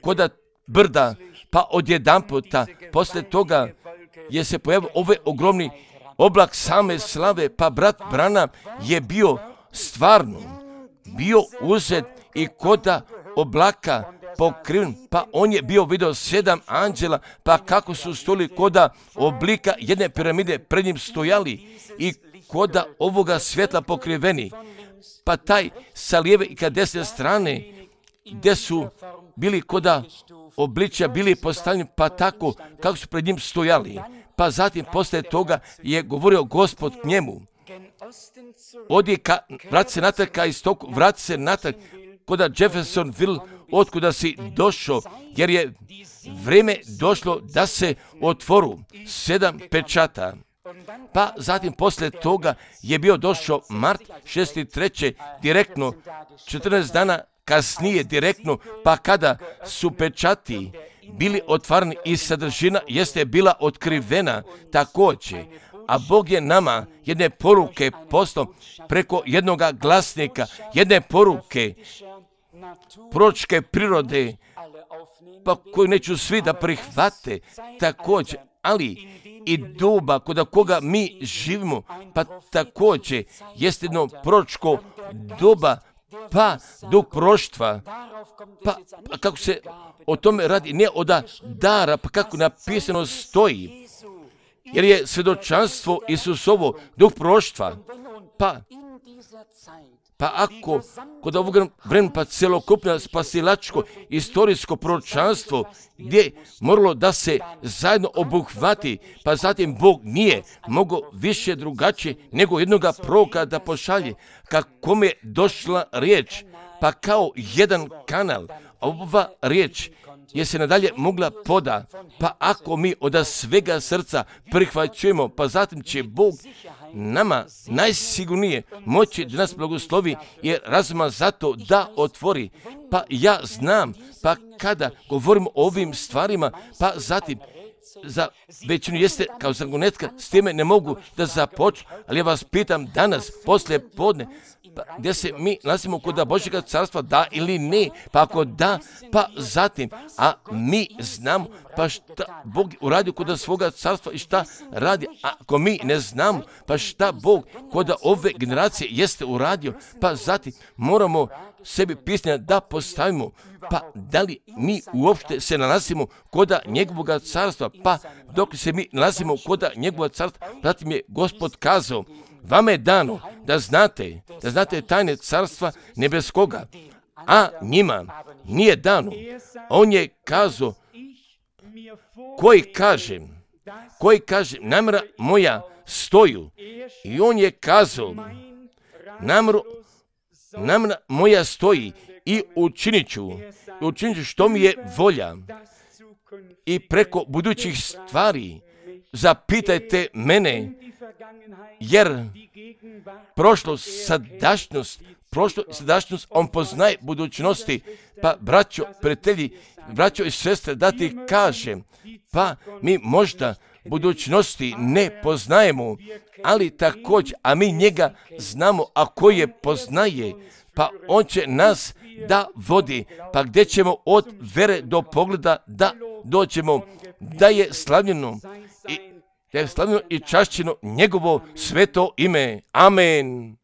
koda brda, pa odjedanputa poslije toga je se pojavio ovaj ogromni oblak same slave, pa brat Branham je bio stvarno, bio uzet i koda oblaka pokriven, pa on je bio vidio sedam anđela, pa kako su stoli koda oblika jedne piramide pred njim stojali i koda ovoga svjetla pokriveni, pa taj sa lijeve i ka desne strane gdje su bili koda obličja bili postavljeni, pa tako kako su pred njim stojali. Pa zatim poslije toga je govorio Gospod k njemu, odi ka, vrati se natrag ka istoku, vrati se natrag koda Jeffersonville, otkuda si došao, jer je vrijeme došlo da se otvoru sedam pečata. Pa zatim poslije toga je bio došao mart šezdeset treće direktno, četrnaest dana kasnije direktno, pa kada su pečati bili otvarani i sadržina jeste bila otkrivena također, a Bog je nama jedne poruke poslao preko jednoga glasnika, jedne poruke proročke prirode, pa koju neću svi da prihvate također, ali i doba kod koga mi živimo, pa također jeste jedno proročko doba, pa duh proroštva, pa, pa kako se o tome radi, ne od dara, pa kako napisano stoji, jer je svjedočanstvo Isusovo duh proroštva, pa Pa ako kod ovog vremena pa celokupno spasilačko istorijsko proročanstvo gdje moralo da se zajedno obuhvati, pa zatim Bog nije mogao više drugačije nego jednoga proroka da pošalje, kako je došla riječ, pa kao jedan kanal, ova riječ je se nadalje mogla poda, pa ako mi od svega srca prihvaćujemo, pa zatim će Bog nama najsigurnije moći da nas blagoslovi jer razuma zato da otvori. Pa ja znam, pa kada govorimo o ovim stvarima, pa zatim za većinu jeste kao zagonetka, s time ne mogu da započnu, ali ja vas pitam danas, poslije podne, pa gdje se mi nalazimo kod Božjega carstva, da ili ne, pa ako da, pa zatim, a mi znamo, pa šta Bog uradio kod svoga carstva i šta radi, a ako mi ne znamo, pa šta Bog kod ove generacije jeste uradio, pa zatim moramo sebi pisanja da postavimo, pa da li mi uopšte se nalazimo kod njegovog carstva, pa dok se mi nalazimo kod njegovog carstva, zatim je Gospod kazao, vama je dano da znate, da znate tajne carstva nebeskoga, a njima nije dano. On je kazao, koji kaže, koji kaže, namjera moja stoju, i on je kazao, namjera, namjera moja stoji i učinit ću, učinit ću što mi je volja. i preko budućih stvari zapitajte mene, jer prošlost, sadašnjost, prošlost, sadašnjost, on poznaje budućnosti. Pa, braćo, prijatelji, braćo i sestre, da ti kažem, pa mi možda budućnosti ne poznajemo, ali također, a mi njega znamo, a ko je poznaje, pa on će nas da vodi, pa gdje ćemo od vere do pogleda da dođemo, da je slavljeno i, da je slavljeno i čašćeno njegovo sveto ime. Amen.